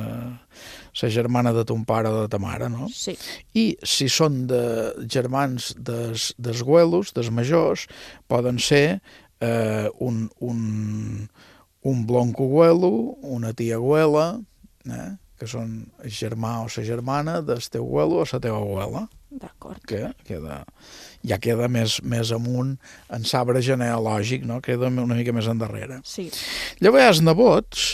Q: sa germana de ton pare o de ta mare, no?
D: Sí.
Q: I si són de germans des, des güelos, des majors, poden ser eh, un, un, un blonco güelo, una tia güela, eh? que són el germà o la germana del teu güelo o la teva güela.
D: D'acord.
Q: Que queda, ja queda més, més amunt en l'arbre genealògic, no? Queda una mica més endarrere.
D: Sí.
Q: Llavors hi ha els nebots,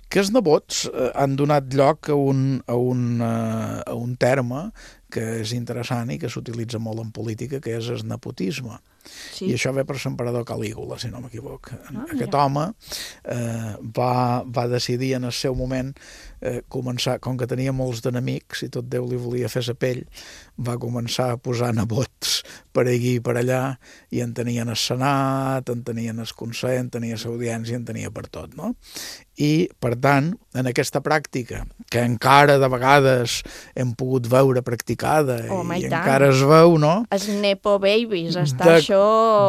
Q: que els nebots eh, han donat lloc a un, a, un, eh, a un terme que és interessant i que s'utilitza molt en política, que és el nepotisme. Sí. I això ve per l'emperador Calígula, si no m'equivoc. Ah, Aquest mira. home eh, va, va decidir en el seu moment eh, començar, com que tenia molts d'enemics i tot Déu li volia fer la pell, va començar a posar nebots per aquí i per allà, i en tenien el Senat, en tenien el Consell, en tenia l'audiència, en tenia per tot, no? I, per tant, en aquesta pràctica, que encara de vegades hem pogut veure practicada,
D: Home,
Q: i,
D: i
Q: encara es veu, no?
D: Els nepo babies, està
Q: de,
D: això...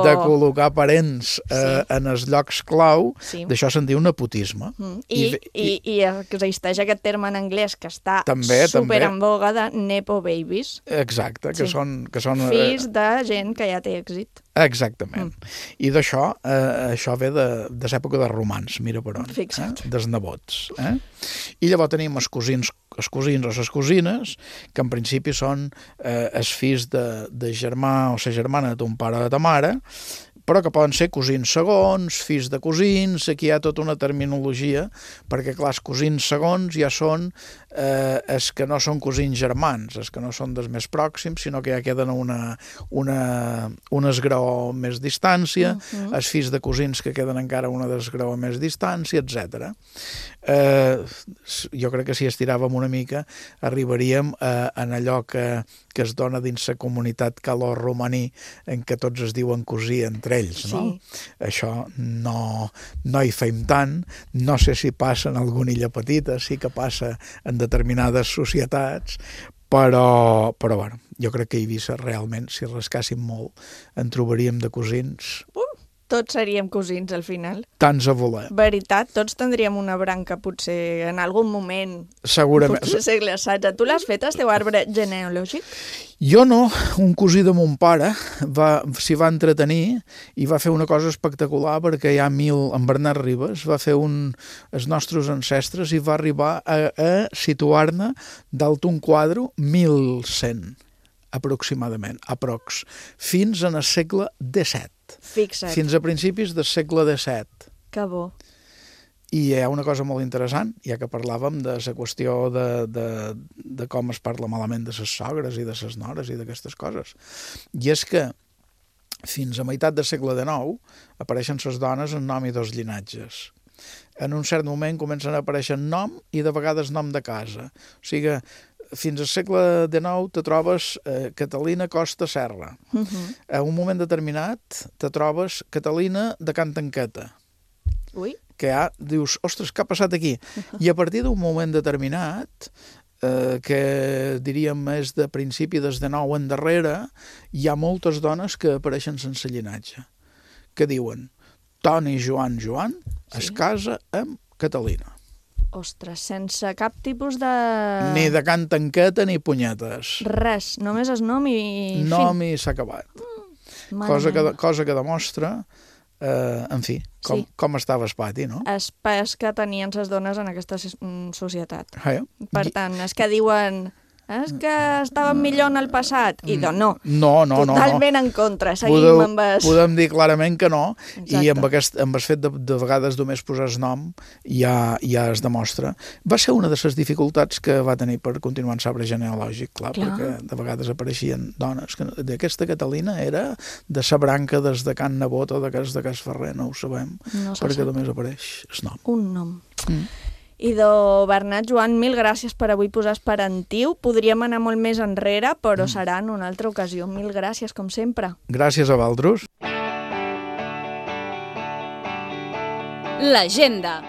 Q: de col·locar parents eh, sí. en els llocs clau,
D: sí.
Q: d'això se'n diu nepotisme.
D: Mm. I, I, i, i existeix aquest terme en anglès que està
Q: també,
D: super
Q: també.
D: en boga de nepo babies.
Q: Exacte, que
D: sí.
Q: són... Que són
D: fills de gent que ja té èxit.
Q: Exactament. Mm. I d'això, eh, això ve de, de l'època dels romans, mira per on.
D: Fixa't.
Q: Eh? Dels nebots. Eh? I llavors tenim els cosins, els cosins o les cosines, que en principi són eh, els fills de, de germà o la germana de ton pare o de ta mare, però que poden ser cosins segons, fills de cosins, aquí hi ha tota una terminologia, perquè clar, els cosins segons ja són eh, els que no són cosins germans, els que no són dels més pròxims, sinó que ja queden a una, una, un esgraó més distància, uh-huh. els fills de cosins que queden encara a una esgraó més distància, etcètera. Eh, jo crec que si estiràvem una mica arribaríem a, a allò que, que es dona dins la comunitat calor-romaní en què tots es diuen cosí entre ells, no? Sí. Això no, no hi fem tant, no sé si passa en alguna illa petita, sí que passa en determinades societats, però, però bueno, jo crec que a Eivissa realment, si rascàssim molt, en trobaríem de cosins...
D: Uh! Tots seríem cosins, al final.
Q: Tants a voler.
D: Veritat, tots tindríem una branca, potser, en algun moment.
Q: Segurament.
D: Potser segle setze. Tu l'has fet, el teu arbre genealògic?
Q: Jo no. Un cosí de mon pare s'hi va entretenir i va fer una cosa espectacular, perquè hi ha mil... En Bernat Ribes va fer un... els nostres ancestres i va arribar a, a situar-ne dalt un quadre mil cent, aproximadament, aprox, fins en el segle disset.
D: Fixa't.
Q: Fins a principis del segle disset.
D: Que bo.
Q: I hi ha una cosa molt interessant, ja que parlàvem de la qüestió de, de, de com es parla malament de les sogres i de les nores i d'aquestes coses. I és que fins a meitat del segle dinou apareixen les dones en nom i dos llinatges. En un cert moment comencen a aparèixer nom i de vegades nom de casa. O sigui, fins al segle dinou te trobes eh, Catalina Costa Serra. Uh-huh. A un moment determinat te trobes Catalina de Can Tanqueta.
D: Ui.
Q: Que ja dius, ostres, què ha passat aquí? Uh-huh. I a partir d'un moment determinat, eh, que diríem és de principi des de nou endarrere, hi ha moltes dones que apareixen sense llinatge, que diuen Toni Joan Joan sí. es casa amb Catalina.
D: Ostres, sense cap tipus de...
Q: Ni de Can Tanqueta ni punyetes.
D: Res, només és nom i...
Q: Nom i s'ha acabat. Mm, cosa, que, cosa que demostra, eh, en fi, com, sí. com estava el pati, no?
D: El pes que tenien les dones en aquesta societat.
Q: Ah, ja.
D: Per tant, és que diuen... És que estàvem millor en el passat. I doncs no.
Q: No, no, no.
D: Totalment
Q: no.
D: en contra. Seguim
Q: Podeu,
D: amb es...
Q: Podem dir clarament que no.
D: Exacte.
Q: I amb, aquest, amb el fet de, de vegades només posar el nom ja, ja es demostra. Va ser una de les dificultats que va tenir per continuar en l'arbre genealògic, clar, clar, perquè de vegades apareixien dones. Que d'aquesta Catalina era de sa branca des de Can Nebot o de Cas de Cas Ferrer, no ho sabem,
D: no
Q: perquè
D: sap.
Q: només apareix el nom.
D: Un nom.
Q: Mm.
D: Idò, Bernat, Joan, mil gràcies per avui posar esperantiu. Podríem anar molt més enrere, però mm. serà en una altra ocasió. Mil gràcies, com sempre.
Q: Gràcies a vosaltres.
O: L'agenda.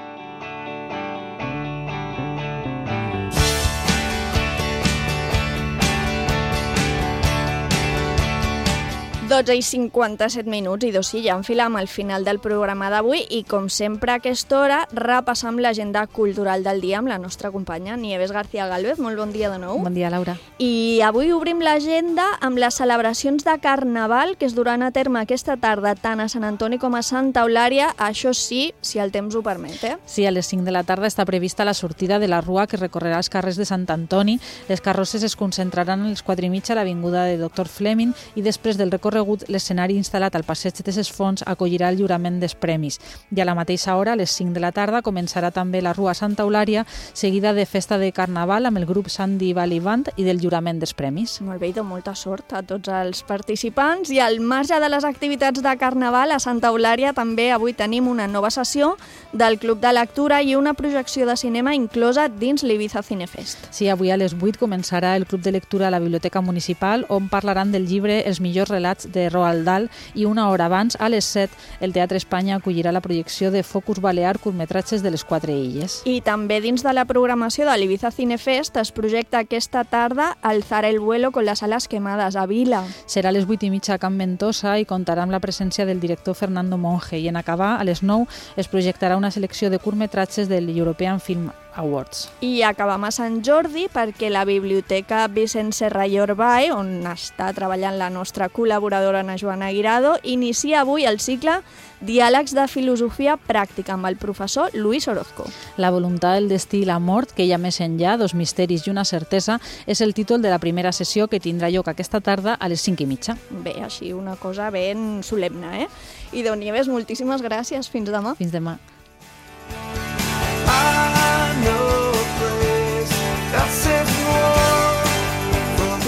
D: dotze i cinquanta-set minuts i dos sí, ja enfilam al final del programa d'avui i com sempre a aquesta hora repassam l'agenda cultural del dia amb la nostra companya Nieves García Gálvez. Molt bon dia de nou.
E: Bon dia, Laura.
D: I avui obrim l'agenda amb les celebracions de Carnaval que es duran a terme aquesta tarda tant a Sant Antoni com a Santa Eulària, això sí, si el temps ho permet. Eh?
E: Sí, a les cinc de la tarda està prevista la sortida de la rua que recorrerà els carrers de Sant Antoni. Les carrosses es concentraran a les quatre i mitja a l'avinguda de doctor Fleming i després del recorregut l'escenari instal·lat al passeig de ses Fonts acollirà el lliurament dels premis. I a la mateixa hora, a les cinc de la tarda, començarà també la rua Santa Eulària, seguida de festa de Carnaval amb el grup Sandy Valley Band i del lliurament dels premis.
D: Molt bé, i de molta sort a tots els participants. I al marge de les activitats de Carnaval, a Santa Eulària també avui tenim una nova sessió del Club de Lectura i una projecció de cinema inclosa dins l'Ibiza Cinefest.
E: Sí, avui a les vuit començarà el Club de Lectura a la Biblioteca Municipal, on parlaran del llibre Els millors relats de Roald Dahl, i una hora abans, a les set, el Teatre Espanya acollirà la projecció de Focus Balear, curtmetratges de les quatre illes.
D: I també dins de la programació de l'Ibiza Cinefest es projecta aquesta tarda Alzar el vuelo con las alas quemadas a Vila.
E: Serà a les vuit i mitja a Can Ventosa i comptarà amb la presència del director Fernando Monge, i en acabar, a les nou, es projectarà una selecció de curtmetratges del European Film Awards.
D: I acabam a Sant Jordi perquè la Biblioteca Vicent Serra i Orbay, on està treballant la nostra col·laboradora Ana Joana Guirado, inicia avui el cicle Diàlegs de Filosofia Pràctica amb el professor Luis Orozco.
E: La voluntat, el destí i la mort, que hi ha més enllà, dos misteris i una certesa, és el títol de la primera sessió que tindrà lloc aquesta tarda a les cinc i mitja.
D: Bé, així una cosa ben solemne, eh? I Déu Nieves, moltíssimes gràcies. Fins demà.
E: Fins demà.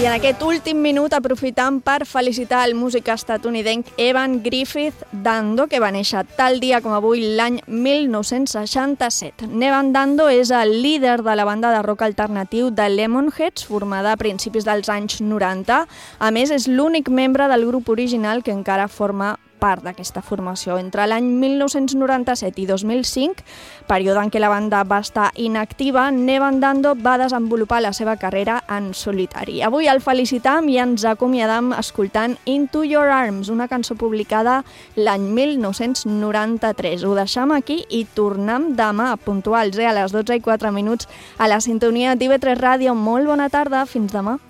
D: I en aquest últim minut aprofitam per felicitar el músic estatunidenc Evan Griffith Dando, que va néixer tal dia com avui l'any mil nou-cents seixanta-set. Evan Dando és el líder de la banda de rock alternatiu de Lemonheads, formada a principis dels anys noranta. A més, és l'únic membre del grup original que encara forma part d'aquesta formació. Entre l'any mil nou-cents noranta-set i dos mil cinc, període en què la banda va estar inactiva, Evan Dando va desenvolupar la seva carrera en solitari. Avui el felicitam i ens acomiadam escoltant Into Your Arms, una cançó publicada l'any mil nou-cents noranta-tres. Ho deixam aquí i tornem demà, puntuals, eh, a les dotze i quatre minuts, a la sintonia d'I V tres Ràdio. Molt bona tarda, fins demà.